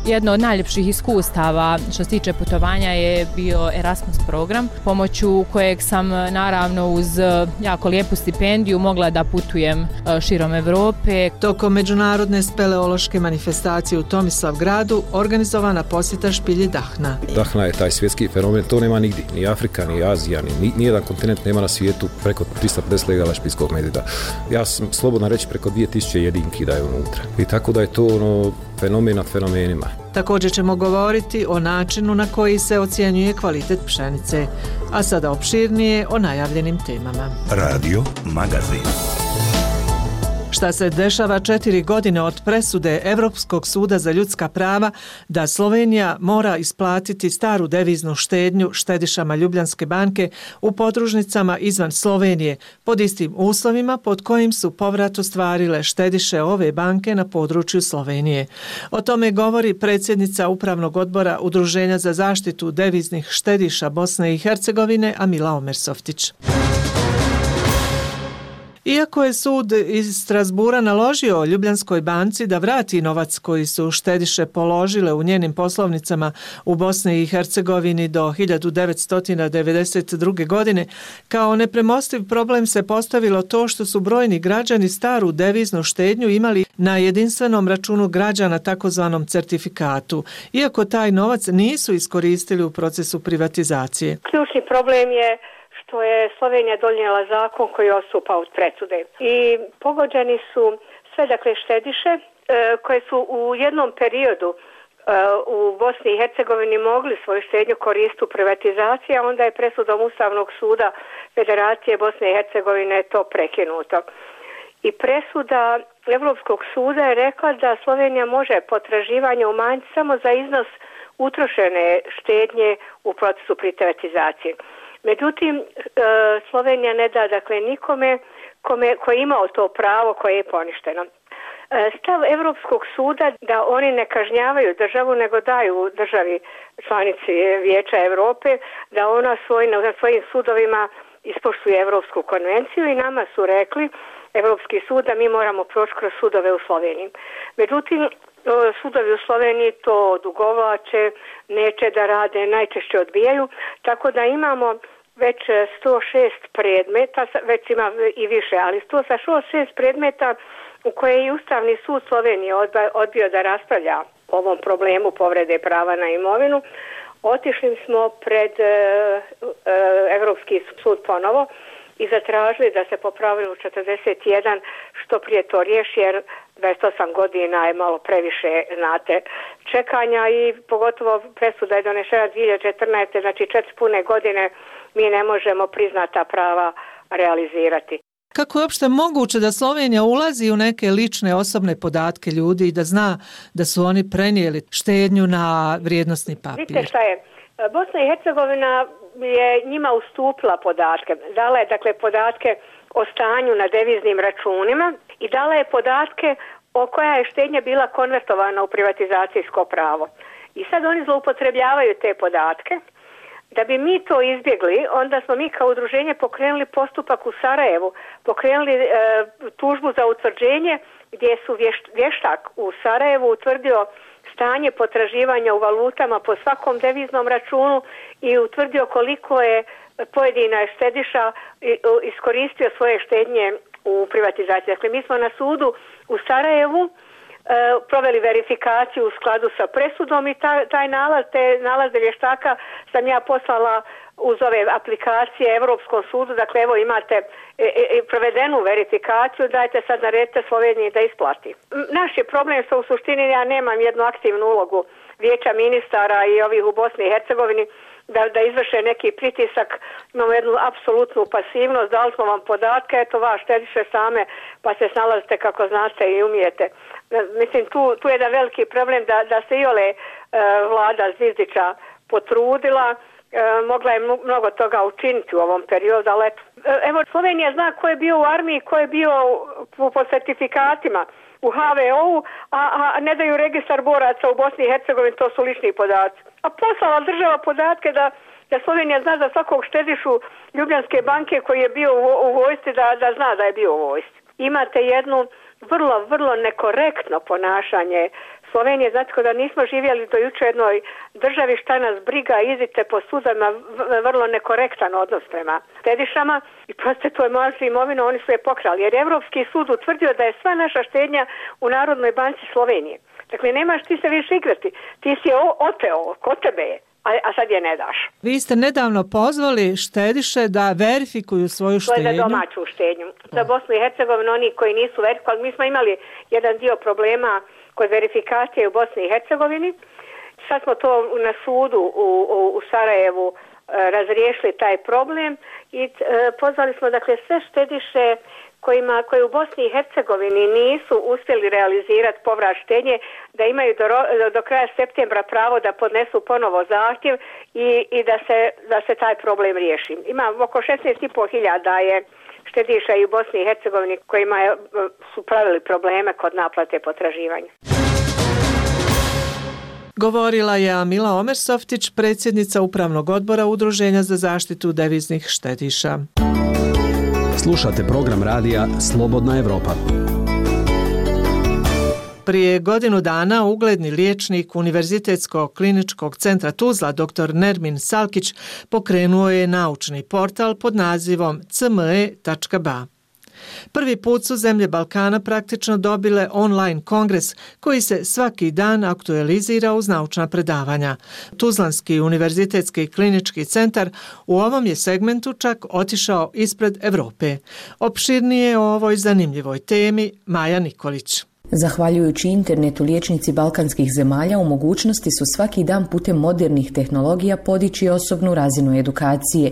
Jedno od najljepših iskustava što se tiče putovanja je bio Erasmus program, pomoću kojeg sam naravno uz jako lijepu stipendiju mogla da putujem širom Evrope. Tokom međunarodne speleološke manifestacije u Tomislavgradu organizovana posjeta špilji Dahna. Dahna je taj svjetski fenomen, to nema nigdje, ni Afrika, ni Azija, ni nijedan kontinent nema na svijetu preko 350 legala špilskog medvjeda. Ja sam slobodno reći preko 2000 jedinki da je unutra. I tako da je to fenomen nad fenomenima. Također ćemo govoriti o načinu na koji se ocjenjuje kvalitet pšenice, a sada opširnije o najavljenim temama. Radio Magazin. Šta se dešava 4 godine od presude Evropskog suda za ljudska prava da Slovenija mora isplatiti staru deviznu štednju štedišama Ljubljanske banke u podružnicama izvan Slovenije pod istim uslovima pod kojim su povrat ostvarile štediše ove banke na području Slovenije. O tome govori predsjednica Upravnog odbora Udruženja za zaštitu deviznih štediša Bosne i Hercegovine Amila Omersoftić. Iako je sud iz Strasbura naložio Ljubljanskoj banci da vrati novac koji su štediše položile u njenim poslovnicama u Bosni i Hercegovini do 1992. godine, kao nepremostiv problem se postavilo to što su brojni građani staru deviznu štednju imali na jedinstvenom računu građana, takozvanom certifikatu, iako taj novac nisu iskoristili u procesu privatizacije. Ključni problem je što je Slovenija donijela zakon koji odstupa od presude. I pogođeni su sve štediše koje su u jednom periodu u Bosni i Hercegovini mogli svoju štednju koristiti u privatizaciji, a onda je presudom Ustavnog suda Federacije Bosne i Hercegovine to prekinuto. I presuda Evropskog suda je rekla da Slovenija može potraživanje umanjiti samo za iznos utrošene štednje u procesu privatizacije. Međutim, Slovenija ne da nikome koji je imao to pravo koje je poništeno. Stav Evropskog suda da oni ne kažnjavaju državu nego daju državi članici Vijeća Europe da ona na svojim sudovima ispoštuje Evropsku konvenciju i nama su rekli Evropski sud da mi moramo proći kroz sudove u Sloveniji. Međutim, sudovi u Sloveniji to odugovlače, neće da rade, najčešće odbijaju, tako da imamo već 106 predmeta, već ima i više, ali 106 predmeta u koje je Ustavni sud Slovenije odbio da raspravlja o ovom problemu povrede prava na imovinu. Otišli smo pred Evropski sud ponovo i zatražili da se po pravilu 41 što prije to riješi, jer 28 godina je malo previše, znate, čekanja i pogotovo presuda je donešena 2014. Znači 4 pune godine mi ne možemo priznata prava realizirati. Kako je uopšte moguće da Slovenija ulazi u neke lične osobne podatke ljudi i da zna da su oni prenijeli štednju na vrijednosni papir? Vidite šta je, Bosna i Hercegovina je njima ustupila podatke. Dala je dakle podatke o stanju na deviznim računima i dala je podatke o koja je štednja bila konvertovana u privatizacijsko pravo. I sad oni zloupotrebljavaju te podatke. Da bi mi to izbjegli, onda smo mi kao udruženje pokrenuli postupak u Sarajevu, pokrenuli tužbu za utvrđenje gdje su vještak u Sarajevu utvrdio stanje potraživanja u valutama po svakom deviznom računu i utvrdio koliko je pojedina štediša iskoristio svoje štednje u privatizaciji. Dakle, mi smo na sudu u Sarajevu proveli verifikaciju u skladu sa presudom i taj nalaz, te nalaze vještaka sam ja poslala uz ove aplikacije Europskom sudu. Dakle, evo imate provedenu verifikaciju, dajte sad naredite Sloveniji da isplati. Naš je problem što u suštini ja nemam jednu aktivnu ulogu vijeća ministara i ovih u Bosni i Hercegovini da izvrše neki pritisak. Imamo jednu apsolutnu pasivnost, dali smo vam podatke, eto vas štediše same pa se snalazite kako znate i umijete. Mislim, tu je jedan veliki problem da se iole vlada Zvizdića potrudila, mogla je mnogo toga učiniti u ovom periodu, ali evo Slovenija zna ko je bio u armiji, ko je bio po certifikatima u HVO-u, a ne daju registar boraca u Bosni i Hercegovini, to su lični podaci. A poslala država podatke da Slovenija zna za svakog štedišu Ljubljanske banke koji je bio u vojsci da zna da je bio u vojsci. Imate jednu vrlo nekorektno ponašanje Slovenije, znači da nismo živjeli do juče jednoj državi, šta nas briga, idite po sudovima, vrlo nekorektan odnos prema štedišama i proste to je moja imovina, oni su je pokrali, jer Evropski sud utvrdio da je sva naša štednja u Narodnoj banci Slovenije. Dakle, nemaš ti se više igrati, ti si je oteo, kod tebe je. A sad je ne daš. Vi ste nedavno pozvali štediše da verifikuju svoju štednju. To je za domaću štednju. Za Bosnu i Hercegovinu oni koji nisu verifikovali. Mi smo imali jedan dio problema kod verifikacije u Bosni i Hercegovini. Sad smo to na sudu u Sarajevu razriješili taj problem i pozvali smo dakle sve štediše koji u Bosni i Hercegovini nisu uspjeli realizirati povrat štednje, da imaju do kraja septembra pravo da podnesu ponovo zahtjev i da se taj problem riješi. Ima oko 16.500 je štediša i u Bosni i Hercegovini kojima su pravili probleme kod naplate potraživanja. Govorila je Amila Omersoftić, predsjednica Upravnog odbora Udruženja za zaštitu deviznih štediša. Slušate program radija Slobodna Evropa. Prije godinu dana ugledni liječnik Univerzitetskog kliničkog centra Tuzla dr. Nermin Salkić pokrenuo je naučni portal pod nazivom cme.ba. Prvi put su zemlje Balkana praktično dobile online kongres koji se svaki dan aktualizira uz naučna predavanja. Tuzlanski univerzitetski klinički centar u ovom je segmentu čak otišao ispred Evrope. Opširnije o ovoj zanimljivoj temi Maja Nikolić. Zahvaljujući internetu, liječnici balkanskih zemalja u mogućnosti su svaki dan putem modernih tehnologija podići osobnu razinu edukacije.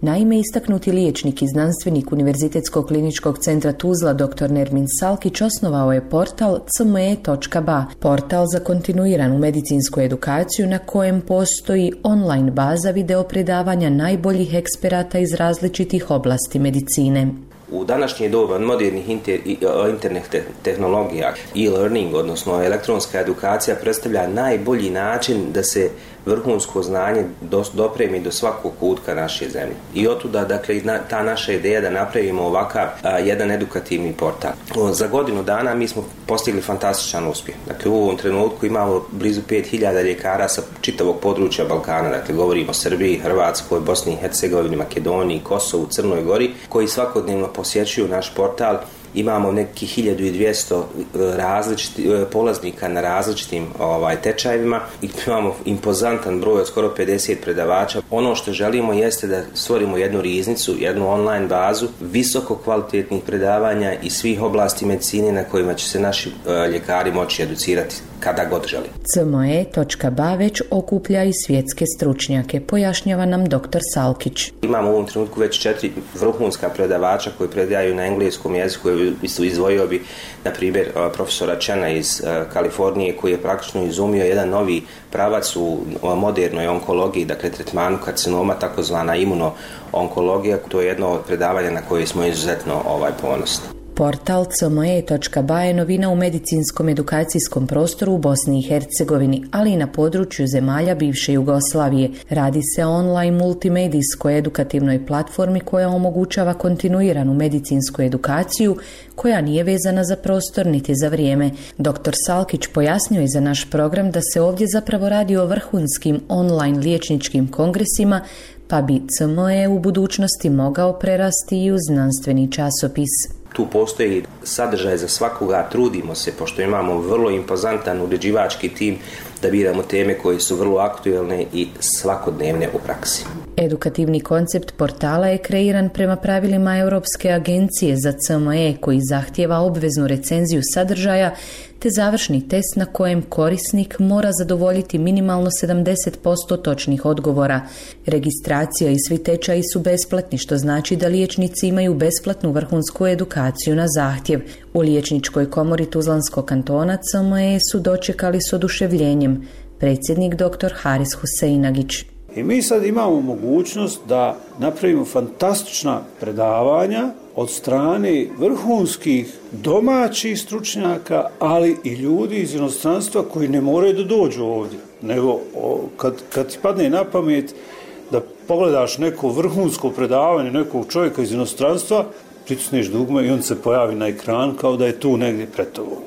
Naime, istaknuti liječnik i znanstvenik Univerzitetskog kliničkog centra Tuzla dr. Nermin Salkić osnovao je portal cme.ba, portal za kontinuiranu medicinsku edukaciju na kojem postoji online baza video predavanja najboljih eksperata iz različitih oblasti medicine. U današnje doba modernih internet tehnologija, e-learning, odnosno elektronska edukacija, predstavlja najbolji način da se vrhunsko znanje dopremi do svakog kutka naše zemlje. I otuda, dakle, ta naša ideja da napravimo ovakav jedan edukativni portal. Za godinu dana mi smo postigli fantastičan uspjeh. Dakle, u ovom trenutku imamo blizu 5000 ljekara sa čitavog područja Balkana. Dakle, govorimo o Srbiji, Hrvatskoj, Bosni i Hercegovini, Makedoniji, Kosovu, Crnoj Gori, koji svakodnevno posjećuju naš portal. Imamo nekih 1200 polaznika na različitim tečajevima i imamo impozantan broj od skoro 50 predavača. Ono što želimo jeste da stvorimo jednu riznicu, jednu online bazu visoko kvalitetnih predavanja iz svih oblasti medicine na kojima će se naši ljekari moći educirati kada god želi. CME.ba već okuplja i svjetske stručnjake, pojašnjava nam dr. Salkić. Imamo u ovom trenutku već 4 vrhunska predavača koji predaju na engleskom jeziku. Izdvojio bi, na primjer, profesora Chena iz Kalifornije, koji je praktično izumio jedan novi pravac u modernoj onkologiji, dakle tretmanu karcinoma, takozvana imuno-onkologija. To je jedno od predavanja na koje smo izuzetno ponosni. Portal CME.ba je novina u medicinskom edukacijskom prostoru u Bosni i Hercegovini, ali i na području zemalja bivše Jugoslavije. Radi se o online multimedijskoj edukativnoj platformi koja omogućava kontinuiranu medicinsku edukaciju koja nije vezana za prostor niti za vrijeme. Dr. Salkić pojasnio je za naš program da se ovdje zapravo radi o vrhunskim online liječničkim kongresima, pa bi CME u budućnosti mogao prerasti i u znanstveni časopis. Tu postoji sadržaj za svakoga, trudimo se, pošto imamo vrlo impozantan uređivački tim, da biramo teme koje su vrlo aktuelne i svakodnevne u praksi. Edukativni koncept portala je kreiran prema pravilima Europske agencije za CME koji zahtijeva obveznu recenziju sadržaja te završni test na kojem korisnik mora zadovoljiti minimalno 70% točnih odgovora. Registracija i svi tečaji su besplatni, što znači da liječnici imaju besplatnu vrhunsku edukaciju na zahtjev. U Liječničkoj komori Tuzlanskog kantona CME su dočekali s oduševljenjem. Predsjednik dr. Haris Huseinagić. I mi sad imamo mogućnost da napravimo fantastična predavanja od strane vrhunskih domaćih stručnjaka, ali i ljudi iz inostranstva koji ne moraju da dođu ovdje. Nego kad ti padne na pamet da pogledaš neko vrhunsko predavanje nekog čovjeka iz inostranstva, pritisneš dugme i on se pojavi na ekran kao da je tu negdje pred tobom.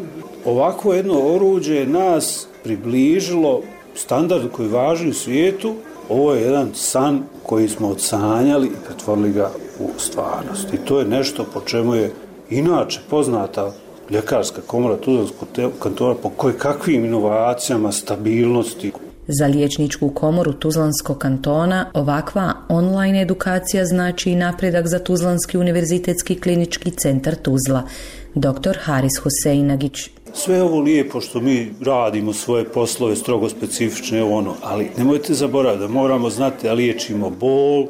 Ovako jedno oruđe nas približilo standardu koji važi u svijetu. Ovo je jedan san koji smo odsanjali i pretvorili ga u stvarnost. I to je nešto po čemu je inače poznata ljekarska komora Tuzlanskog kantona po kakvim inovacijama, stabilnosti. Za Liječničku komoru Tuzlanskog kantona ovakva online edukacija znači i napredak za Tuzlanski univerzitetski klinički centar Tuzla. Dr. Haris Huseinagić. Sve ovo lijepo što mi radimo svoje poslove strogo specifične, ali nemojte zaboraviti da moramo znati da liječimo bol,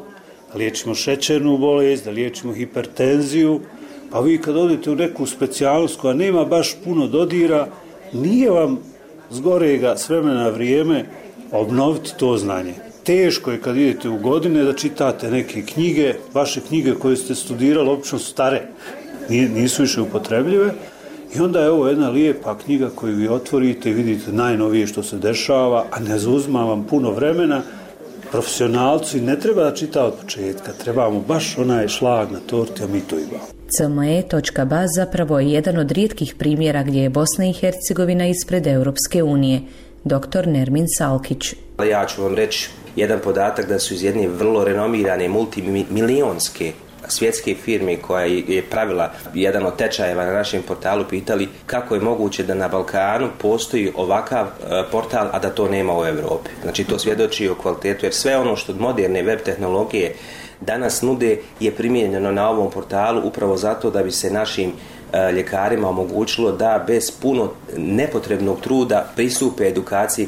da liječimo šećernu bolest, da liječimo hipertenziju, pa vi kad odete u neku specijalnost koja nema baš puno dodira, nije vam zgorega s vremena na vrijeme obnoviti to znanje. Teško je kad idete u godine da čitate neke knjige, vaše knjige koje ste studirali obično su stare, nisu više upotrebljive. I onda je ovo jedna lijepa knjiga koju vi otvorite i vidite najnovije što se dešava, a ne zauzima vam puno vremena. Profesionalci ne treba da čita od početka, trebamo baš onaj šlag na torti, a mi to imamo. CME.ba zapravo je jedan od rijetkih primjera gdje je Bosna i Hercegovina ispred Europske unije. Dr. Nermin Salkić. Ja ću vam reći jedan podatak da su iz jedne vrlo renomirane multimilionske svjetske firme koja je pravila jedan od tečajeva na našem portalu pitali kako je moguće da na Balkanu postoji ovakav portal, a da to nema u Europi. Znači to svjedoči o kvalitetu, jer sve ono što moderne web tehnologije danas nude je primijenjeno na ovom portalu upravo zato da bi se našim ljekarima omogućilo da bez puno nepotrebnog truda pristupe edukaciji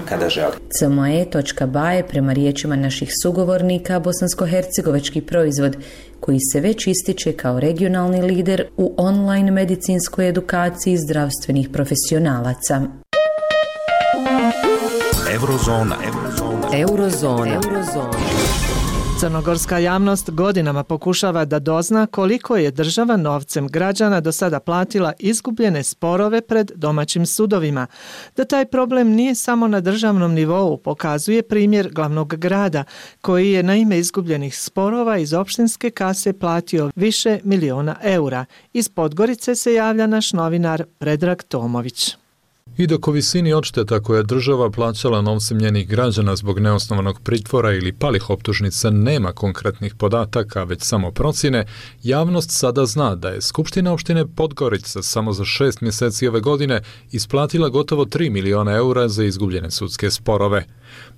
kada želi. CME.ba je prema riječima naših sugovornika bosansko-hercegovački proizvod koji se već ističe kao regionalni lider u online medicinskoj edukaciji zdravstvenih profesionalaca. Eurozona. Crnogorska javnost godinama pokušava da dozna koliko je država novcem građana do sada platila izgubljene sporove pred domaćim sudovima. Da taj problem nije samo na državnom nivou pokazuje primjer glavnog grada, koji je na ime izgubljenih sporova iz opštinske kase platio više miliona eura. Iz Podgorice se javlja naš novinar Predrag Tomović. I dok o visini odšteta koje je država plaćala novcem njenih građana zbog neosnovanog pritvora ili palih optužnica nema konkretnih podataka, već samo procjene, javnost sada zna da je Skupština opštine Podgorica samo za 6 mjeseci ove godine isplatila gotovo 3 miliona eura za izgubljene sudske sporove.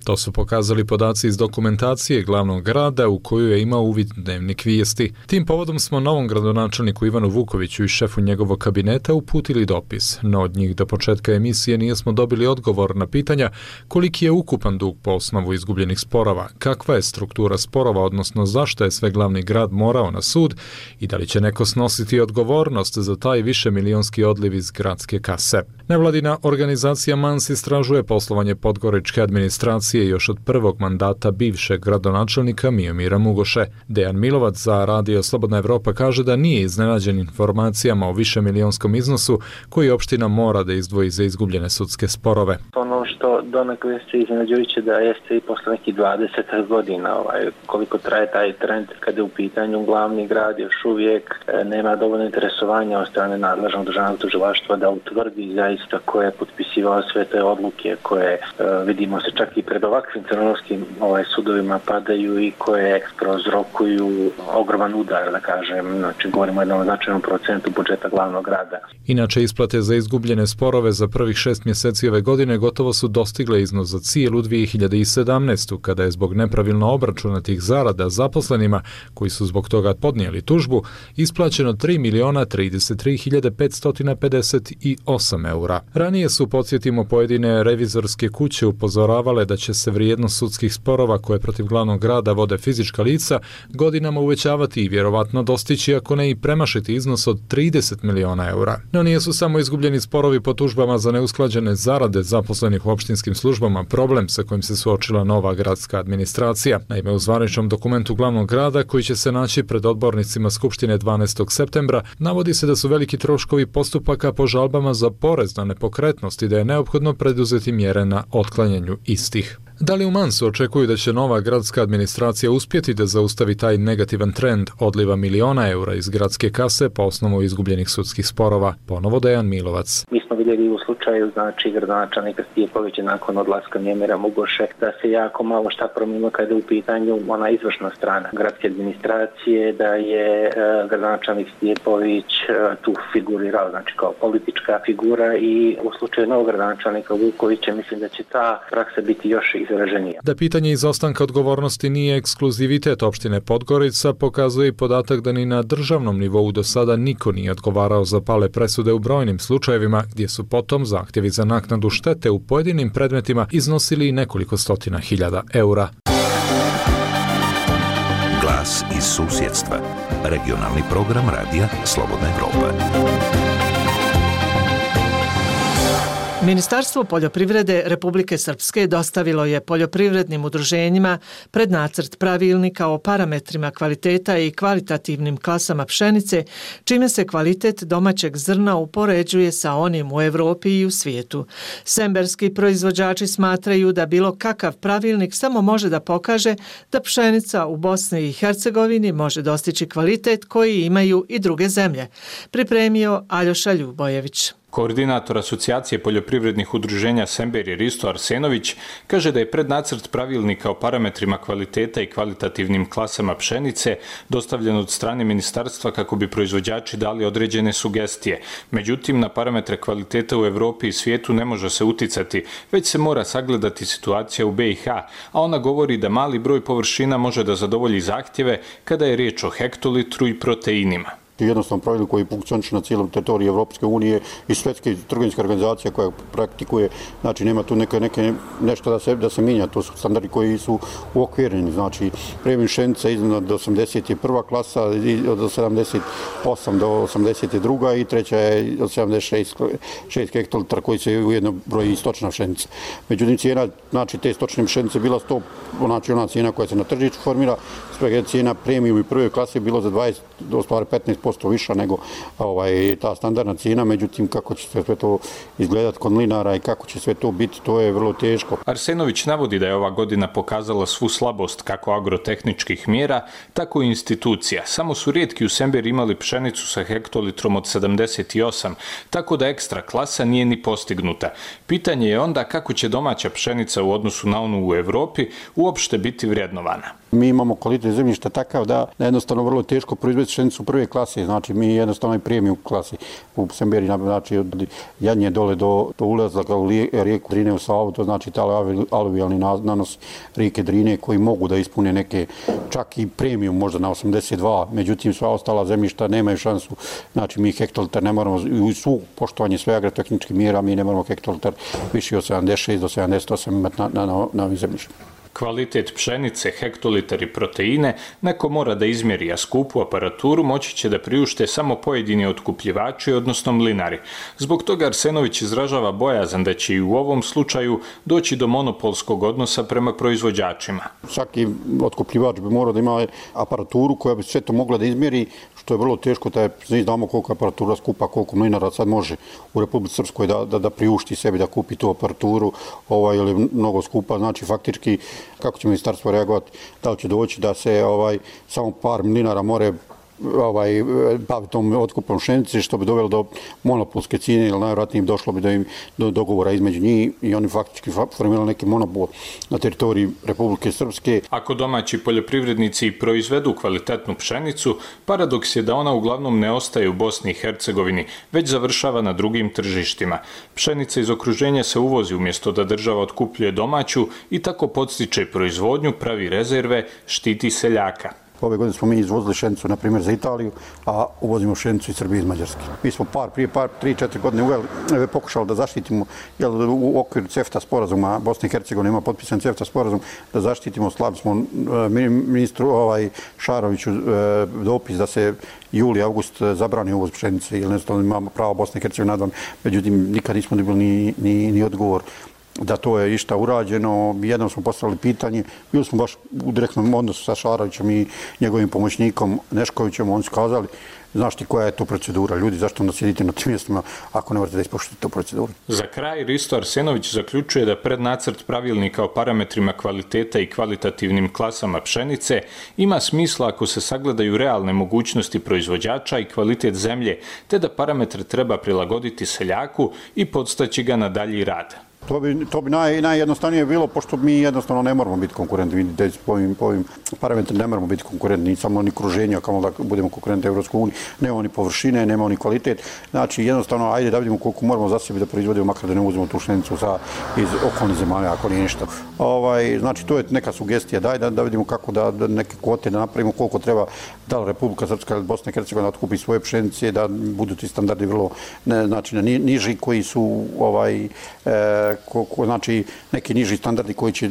To su pokazali podaci iz dokumentacije glavnog grada u koju je imao uvid Dnevnik vijesti. Tim povodom smo novom gradonačelniku Ivanu Vukoviću i šefu njegovog kabineta uputili dopis, no od njih do početka emisije nismo dobili odgovor na pitanja koliki je ukupan dug po osnovu izgubljenih sporova, kakva je struktura sporova, odnosno zašto je sve glavni grad morao na sud i da li će neko snositi odgovornost za taj višemilionski odliv iz gradske kase. Nevladina organizacija MANS istražuje poslovanje podgoričke administracije još od prvog mandata bivšeg gradonačelnika Miomira Mugoše. Dejan Milovac za Radio Slobodna Evropa kaže da nije iznenađen informacijama o višemilijonskom iznosu koji opština mora da izdvoji za izgubljene sudske sporove. Ono što donekle se iznenađujuće da jeste i posle nekih 20 godina koliko traje taj trend kada je u pitanju glavni grad, još uvijek nema dovoljno interesovanja od strane nadležnog državnog tužilaštva da utvrdi zaista ko je potpisivao sve te odluke koje vidimo se čak i pred ovakvim crnogorskim sudovima padaju i koje prouzrokuju ogroman udar, da kažem, znači govorimo o jednom značajnom procentu budžeta glavnog grada. Inače, isplate za izgubljene sporove za prvih 6 mjeseci ove godine gotovo su dostigle iznos za cijelu 2017. kada je zbog nepravilno obračunatih zarada zaposlenima, koji su zbog toga podnijeli tužbu, isplaćeno 3.033.558 eura. Ranije su, podsjetimo, pojedine revizorske kuće upozoravale da će se vrijednost sudskih sporova koje protiv glavnog grada vode fizička lica godinama uvećavati i vjerovatno dostići, ako ne i premašiti iznos od 30 miliona eura. No nisu samo izgubljeni sporovi po tužbama za neusklađene zarade zaposlenih u opštinskim službama problem sa kojim se suočila nova gradska administracija. Naime, u zvaničnom dokumentu glavnog grada, koji će se naći pred odbornicima Skupštine 12. septembra, navodi se da su veliki troškovi postupaka po žalbama za porez na nepokretnost i da je neophodno preduzeti mjere na otklanjanju istih. Da li u Mansu očekuju da će nova gradska administracija uspjeti da zaustavi taj negativan trend odliva miliona eura iz gradske kase po osnovu izgubljenih sudskih sporova? Ponovo Dejan Milovac. Mi smo vidjeli u slučaju gradonačelnika Stjepovića nakon odlaska Miomira Mugoše da se jako malo šta promijenilo kada je u pitanju ona izvršna strana gradske administracije, da je gradonačelnik Stjepović tu figurirao, znači kao politička figura, i u slučaju novog gradonačelnika Vukovića mislim da će ta praksa biti još izraženija. Da pitanje izostanka odgovornosti nije ekskluzivitet opštine Podgorica pokazuje i podatak da ni na državnom nivou do sada niko nije odgovarao za pale presude u brojnim slučajevima, gdje su potom zahtjevi za naknadu štete u pojedinim predmetima iznosili nekoliko stotina hiljada eura. Glas iz susjedstva. Regionalni program Radija Slobodna Evropa. Ministarstvo poljoprivrede Republike Srpske dostavilo je poljoprivrednim udruženjima prednacrt pravilnika o parametrima kvaliteta i kvalitativnim klasama pšenice, čime se kvalitet domaćeg zrna upoređuje sa onim u Evropi i u svijetu. Semberski proizvođači smatraju da bilo kakav pravilnik samo može da pokaže da pšenica u Bosni i Hercegovini može dostići kvalitet koji imaju i druge zemlje. Pripremio Aljoša Ljubojević. Koordinator Asocijacije poljoprivrednih udruženja Sember Risto Arsenović kaže da je prednacrt pravilnika o parametrima kvaliteta i kvalitativnim klasama pšenice dostavljen od strane ministarstva kako bi proizvođači dali određene sugestije. Međutim, na parametre kvaliteta u Evropi i svijetu ne može se uticati, već se mora sagledati situacija u BiH, a ona govori da mali broj površina može da zadovolji zahtjeve kada je riječ o hektolitru i proteinima. jednostavno pravilo koji funkcioniše na cijelom teritoriji Evropske unije i Svjetske trgovinske organizacije koja praktikuje, znači nema tu nešto da se mijenja, to su standardi koji su uokvireni, znači premium pšenica iznad 81. klasa, od 78 do 82. i treća je od 76 hektolitara koji se ujedno broji stočna pšenica. Međutim, cijena, znači te stočne pšenice bila 100, znači ona cijena koja se na tržištu formira, cijena premium i prve klase je bilo za 20, do stvari 15% više nego ta standardna cijena, međutim kako će sve to izgledati kod mlinara i kako će sve to biti, to je vrlo teško. Arsenović navodi da je ova godina pokazala svu slabost kako agrotehničkih mjera, tako i institucija. Samo su rijetki u Semberi imali pšenicu sa hektolitrom od 78, tako da ekstra klasa nije ni postignuta. Pitanje je onda kako će domaća pšenica u odnosu na onu u Europi uopšte biti vrednovana. Mi imamo kvalitet zemljišta takav da jednostavno vrlo teško proizvesti pšenicu prve klase, znači mi jednostavno i premium klasi u Semberi, znači od Jadnje dole do ulazaka u rijeku Drine u Savu, to znači taj aluvijalni nanos rijeke Drine koji mogu da ispune neke čak i premium možda na 82, međutim sva ostala zemljišta nemaju šansu, znači mi hektolitar ne moramo, u svu poštovanje sve agrotehničkih mjera mi ne moramo hektolitar više od 76 do 78 imati na ovim zemljištima. Kvalitet pšenice, hektolitar i proteine neko mora da izmjeri, a skupu aparaturu moći će da priušte samo pojedini otkupljivači, odnosno mlinari. Zbog toga Arsenović izražava bojazan da će i u ovom slučaju doći do monopolskog odnosa prema proizvođačima. Svaki otkupljivač bi morao da ima aparaturu koja bi sve to mogla da izmjeri, što je vrlo teško, da znamo koliko aparatura skupa, koliko mlinara sad može u Republici Srpskoj da priušti sebi da kupi tu aparaturu, ili mnogo skupa, znači faktički kako će ministarstvo reagovati, da li će doći da se samo par mlinara more baviti tom otkupom pšenice, što bi dovelo do monopolske cijene, ili najvjerojatnije došlo bi do dogovora između njih i oni faktički formirali neki monopol na teritoriji Republike Srpske. Ako domaći poljoprivrednici proizvedu kvalitetnu pšenicu, paradoks je da ona uglavnom ne ostaje u Bosni i Hercegovini, već završava na drugim tržištima. Pšenica iz okruženja se uvozi umjesto da država otkupljuje domaću i tako podstiče proizvodnju, pravi rezerve, štiti seljaka. Ove godine smo mi izvozili pšenicu, na primjer, za Italiju, a uvozimo pšenicu iz Srbije i iz Mađarske. Mi smo prije 3-4 godine pokušali da zaštitimo, u okviru CEFTA sporazuma, Bosna i Hercegovina ima potpisan CEFTA sporazum, da zaštitimo, slali smo ministru Šaroviću dopis da se juli, august zabrani uvoz pšenice, jer jednostavno imamo pravo Bosna i Hercegovina nadam, međutim nikad nismo dobili ni odgovor da to je išta urađeno. Jednom smo postavili pitanje, bili smo baš u direktnom odnosu sa Šarovićem i njegovim pomoćnikom Neškovićem, oni su kazali, znaš ti koja je to procedura, ljudi, zašto onda sjedite na tim mjestima ako ne morate da ispoštujete tu proceduru. Za kraj, Risto Arsenović zaključuje da prednacrt pravilnika o parametrima kvaliteta i kvalitativnim klasama pšenice ima smisla ako se sagledaju realne mogućnosti proizvođača i kvalitet zemlje, te da parametre treba prilagoditi seljaku i podstaći ga na dalji rad. To bi najjednostavnije bilo, pošto mi jednostavno ne moramo biti konkurentni. Vidite, po ovim parametrima ne moramo biti konkurentni, samo ni kruženja, kao da budemo konkurentni Evropskoj uniji. Nemamo ni površine, nemamo ni kvalitet. Znači, jednostavno, ajde da vidimo koliko moramo za sebi da proizvodimo, makar da ne uzmemo tu pšenicu iz okolnih zemalja, ako nije ništa. Znači, to je neka sugestija. Daj da vidimo kako da neke kvote da napravimo, koliko treba da li Republika Srpska ili Bosna i Hercegovina otkupi svoje pšenice, da budu ti standardi vrlo niži koji su znači neki niži standardi koji će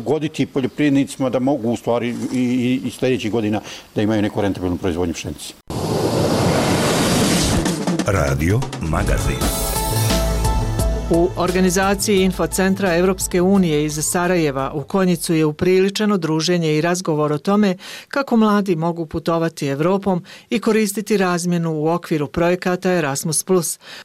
goditi poljoprivrednicima da mogu u stvari i sljedećih godina da imaju neku rentabilnu proizvodnju pšenice. Radio Magazin. U organizaciji Infocentra Evropske unije iz Sarajeva u Konjicu je upriličeno druženje i razgovor o tome kako mladi mogu putovati Evropom i koristiti razmjenu u okviru projekata Erasmus+.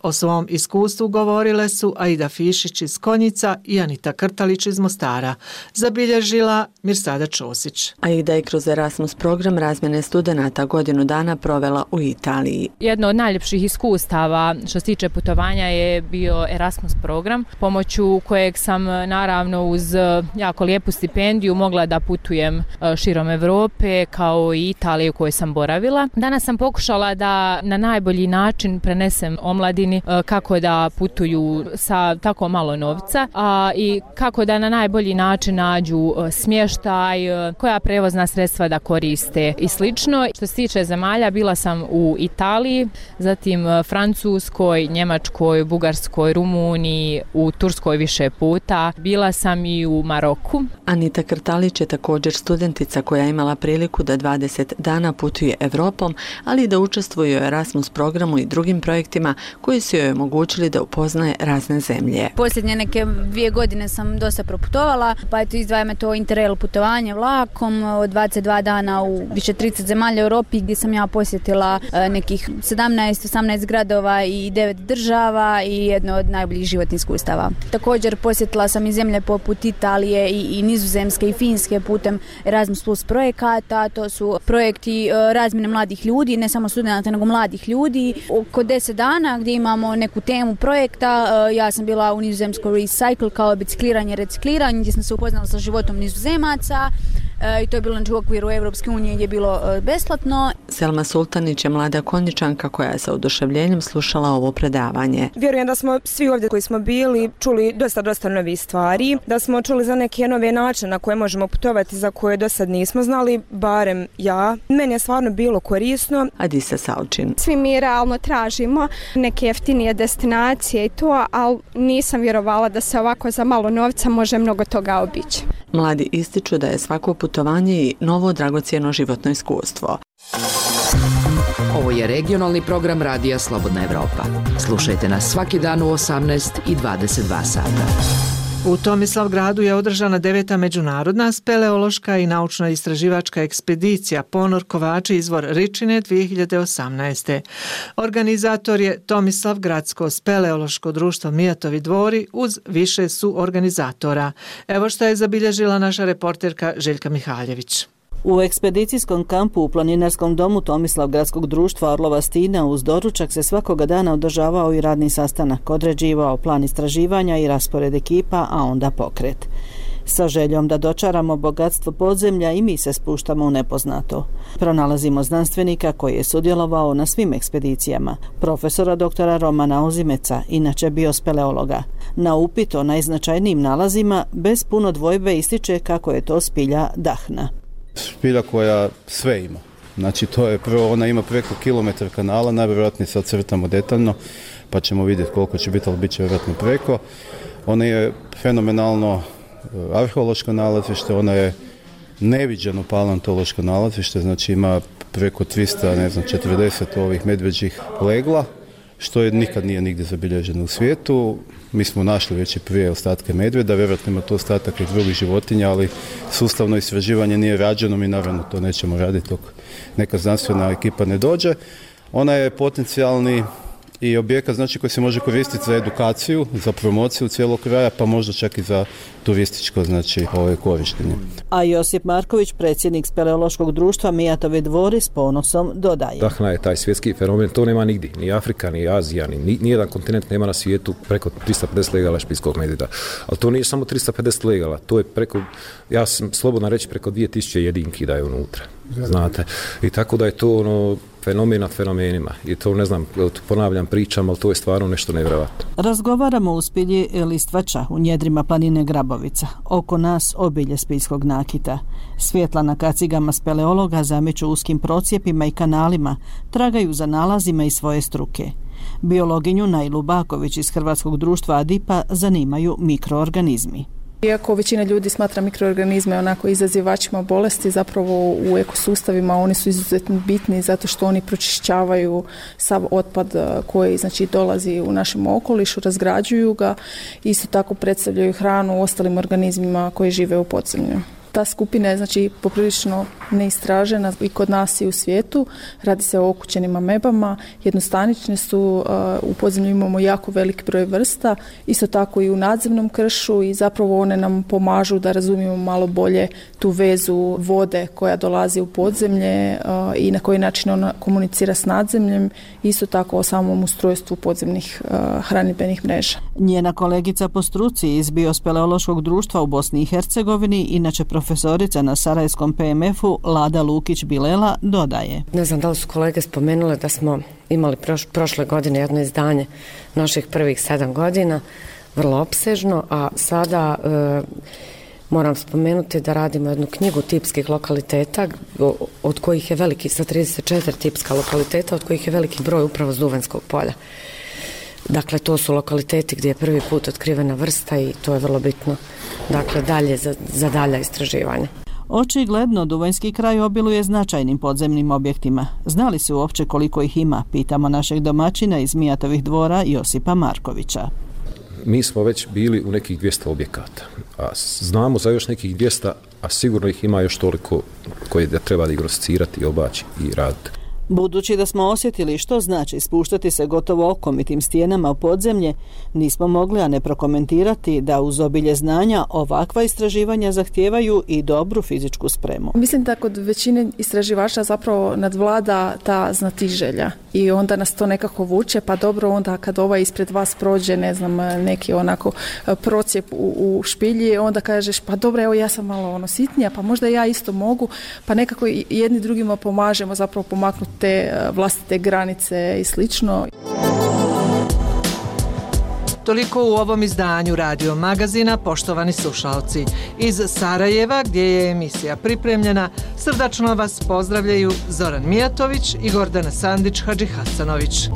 O svom iskustvu govorile su Aida Fišić iz Konjica i Anita Krtalić iz Mostara. Zabilježila Mirsada Čosić. Aida je kroz Erasmus program razmjene studenata godinu dana provela u Italiji. Jedno od najljepših iskustava što se tiče putovanja je bio Erasmus Erasmus program, pomoću kojeg sam naravno uz jako lijepu stipendiju mogla da putujem širom Europe kao i Italije u kojoj sam boravila. Danas sam pokušala da na najbolji način prenesem omladini kako da putuju sa tako malo novca i kako da na najbolji način nađu smještaj, koja prevozna sredstva da koriste i slično. Što se tiče zemalja, bila sam u Italiji, zatim Francuskoj, Njemačkoj, Bugarskoj, Rumuniji, u Turskoj više puta. Bila sam i u Maroku. Anita Krtalić je također studentica koja je imala priliku da 20 dana putuje Evropom, ali i da učestvuje u Erasmus programu i drugim projektima koji su joj omogućili da upoznaje razne zemlje. Posljednje neke 2 godine sam dosta proputovala, pa eto izdvaja me to Interrail putovanje vlakom od 22 dana u više 30 zemalja u Europi, gdje sam ja posjetila nekih 17-18 gradova i 9 država i jedno od najboljih životnih iskustava. Također posjetila sam i zemlje poput Italije i Nizozemske i Finske putem Erasmus Plus projekata. To su projekti razmjene mladih ljudi, ne samo studenata nego mladih ljudi. Oko 10 dana gdje imamo neku temu projekta. Ja sam bila u Nizozemskoj Recycle kao bicikliranje, recikliranje, gdje sam se upoznala sa životom Nizozemaca. I to je bilo u okviru Evropske unije gdje je bilo besplatno. Selma Sultanić je mlada konjičanka koja je sa oduševljenjem slušala ovo predavanje. Vjerujem da smo svi ovdje koji smo bili čuli dosta novih stvari, da smo čuli za neke nove načine na koje možemo putovati, za koje do sad nismo znali, barem ja. Meni je stvarno bilo korisno. Adisa Saučin. Svi mi realno tražimo neke jeftinije destinacije i to, ali nisam vjerovala da se ovako za malo novca može mnogo toga obići. Mladi ističu da je svako putovanje i novo dragocjeno životno iskustvo. Ovo je regionalni program Radija Slobodna Evropa. Slušajte nas svaki dan u 18 i 22 sata. U Tomislavgradu je održana 9. međunarodna speleološka i naučno-istraživačka ekspedicija Ponor Kovači izvor Ričine 2018. Organizator je Tomislavgradsko speleološko društvo Mijatovi dvori uz više su organizatora. Evo što je zabilježila naša reporterka Željka Mihaljević. U ekspedicijskom kampu u planinarskom domu Tomislavgradskog društva Orlova Stina uz doručak se svakoga dana održavao i radni sastanak, određivao plan istraživanja i raspored ekipa, a onda pokret. Sa željom da dočaramo bogatstvo podzemlja i mi se spuštamo u nepoznato. Pronalazimo znanstvenika koji je sudjelovao na svim ekspedicijama, profesora doktora Romana Ozimeca, inače biospeleologa. Na upit o najznačajnijim nalazima bez puno dvojbe ističe kako je to spilja dahna. Spilja koja sve ima. Znači to je prvo, ona ima preko kilometar kanala, najvjerojatnije sad crtamo detaljno, pa ćemo vidjeti koliko će biti, ali bit će vjerojatno preko. Ona je fenomenalno arheološko nalazište, ona je neviđeno paleontološko nalazište, znači ima preko 340 ovih medveđih legla, što je nikad nije nigdje zabilježeno u svijetu. Mi smo našli već i prije ostatke medvjeda, vjerojatno ima to ostatak i drugih životinja, ali sustavno istraživanje nije rađeno, mi naravno to nećemo raditi dok neka znanstvena ekipa ne dođe. Ona je potencijalni i objekat znači koji se može koristiti za edukaciju, za promociju cijelog kraja, pa možda čak i za turističko znači korištenje. A Josip Marković, predsjednik speleološkog društva Mijatovi dvori, s ponosom dodaje. Dahna je taj svjetski fenomen, to nema nigdje, ni Afrika, ni Azija, ni nijedan kontinent nema na svijetu preko 350 legala špiljskog medvjeda. Ali to nije samo 350 legala, to je preko, ja sam slobodno reći, preko 2000 jedinki da je unutra. Znate, i tako da je to fenomen nad fenomenima i to ne znam, ponavljam pričam, ali to je stvarno nešto nevjerojatno. Razgovaramo u spilji Listvača u njedrima planine Grabovica. Oko nas obilje spiljskog nakita. Svjetla na kacigama speleologa zameću uskim procijepima i kanalima, tragaju za nalazima i svoje struke. Biologinju Najlu Baković iz Hrvatskog društva Adipa zanimaju mikroorganizmi. Iako većina ljudi smatra mikroorganizme onako izazivačima bolesti, zapravo u ekosustavima oni su izuzetno bitni zato što oni pročišćavaju sav otpad koji znači dolazi u našem okolišu, razgrađuju ga, isto tako predstavljaju hranu ostalim organizmima koji žive u podzemlju. Ta skupina je znači poprilično neistražena i kod nas i u svijetu. Radi se o okućenim amebama, jednostanične su, u podzemlju imamo jako velik broj vrsta, isto tako i u nadzemnom kršu i zapravo one nam pomažu da razumijemo malo bolje tu vezu vode koja dolazi u podzemlje i na koji način ona komunicira s nadzemljem, isto tako o samom ustrojstvu podzemnih hranidbenih mreža. Njena kolegica po struci iz Biospeleološkog društva u Bosni i Hercegovini, inače profesorica na Sarajevskom PMF-u, Lada Lukić-Bilela, dodaje. Ne znam da li su kolege spomenule da smo imali prošle godine jedno izdanje naših prvih 7 godina, vrlo opsežno, a sada moram spomenuti da radimo jednu knjigu tipskih lokaliteta, od kojih je veliki, sa 34 tipska lokaliteta, od kojih je veliki broj upravo s Duvanskog polja. Dakle, to su lokaliteti gdje je prvi put otkrivena vrsta i to je vrlo bitno, dakle, dalje za dalja istraživanja. Očigledno, Duvanjski kraj obiluje značajnim podzemnim objektima. Znali se uopće koliko ih ima, pitamo našeg domaćina iz Mijatovih dvora Josipa Markovića. Mi smo već bili u nekih 200 objekata, a znamo za još nekih 200, a sigurno ih ima još toliko koje da treba diagnosticirati, obaći i raditi. Budući da smo osjetili što znači spuštati se gotovo okomitim stijenama u podzemlje, nismo mogli a ne prokomentirati da uz obilje znanja ovakva istraživanja zahtijevaju i dobru fizičku spremu. Mislim da kod većine istraživača zapravo nadvlada ta znatiželja i onda nas to nekako vuče, pa dobro onda kad ovaj ispred vas prođe, ne znam, neki onako procijep u špilji, onda kažeš pa dobro, evo ja sam malo sitnija, pa možda ja isto mogu, pa nekako jedni drugima pomažemo zapravo pomaknuti te vlastite granice i slično. Toliko u ovom izdanju Radio Magazina, poštovani slušalci. Iz Sarajeva, gdje je emisija pripremljena, srdačno vas pozdravljaju Zoran Mijatović i Gordana Sandić-Hadžihasanović.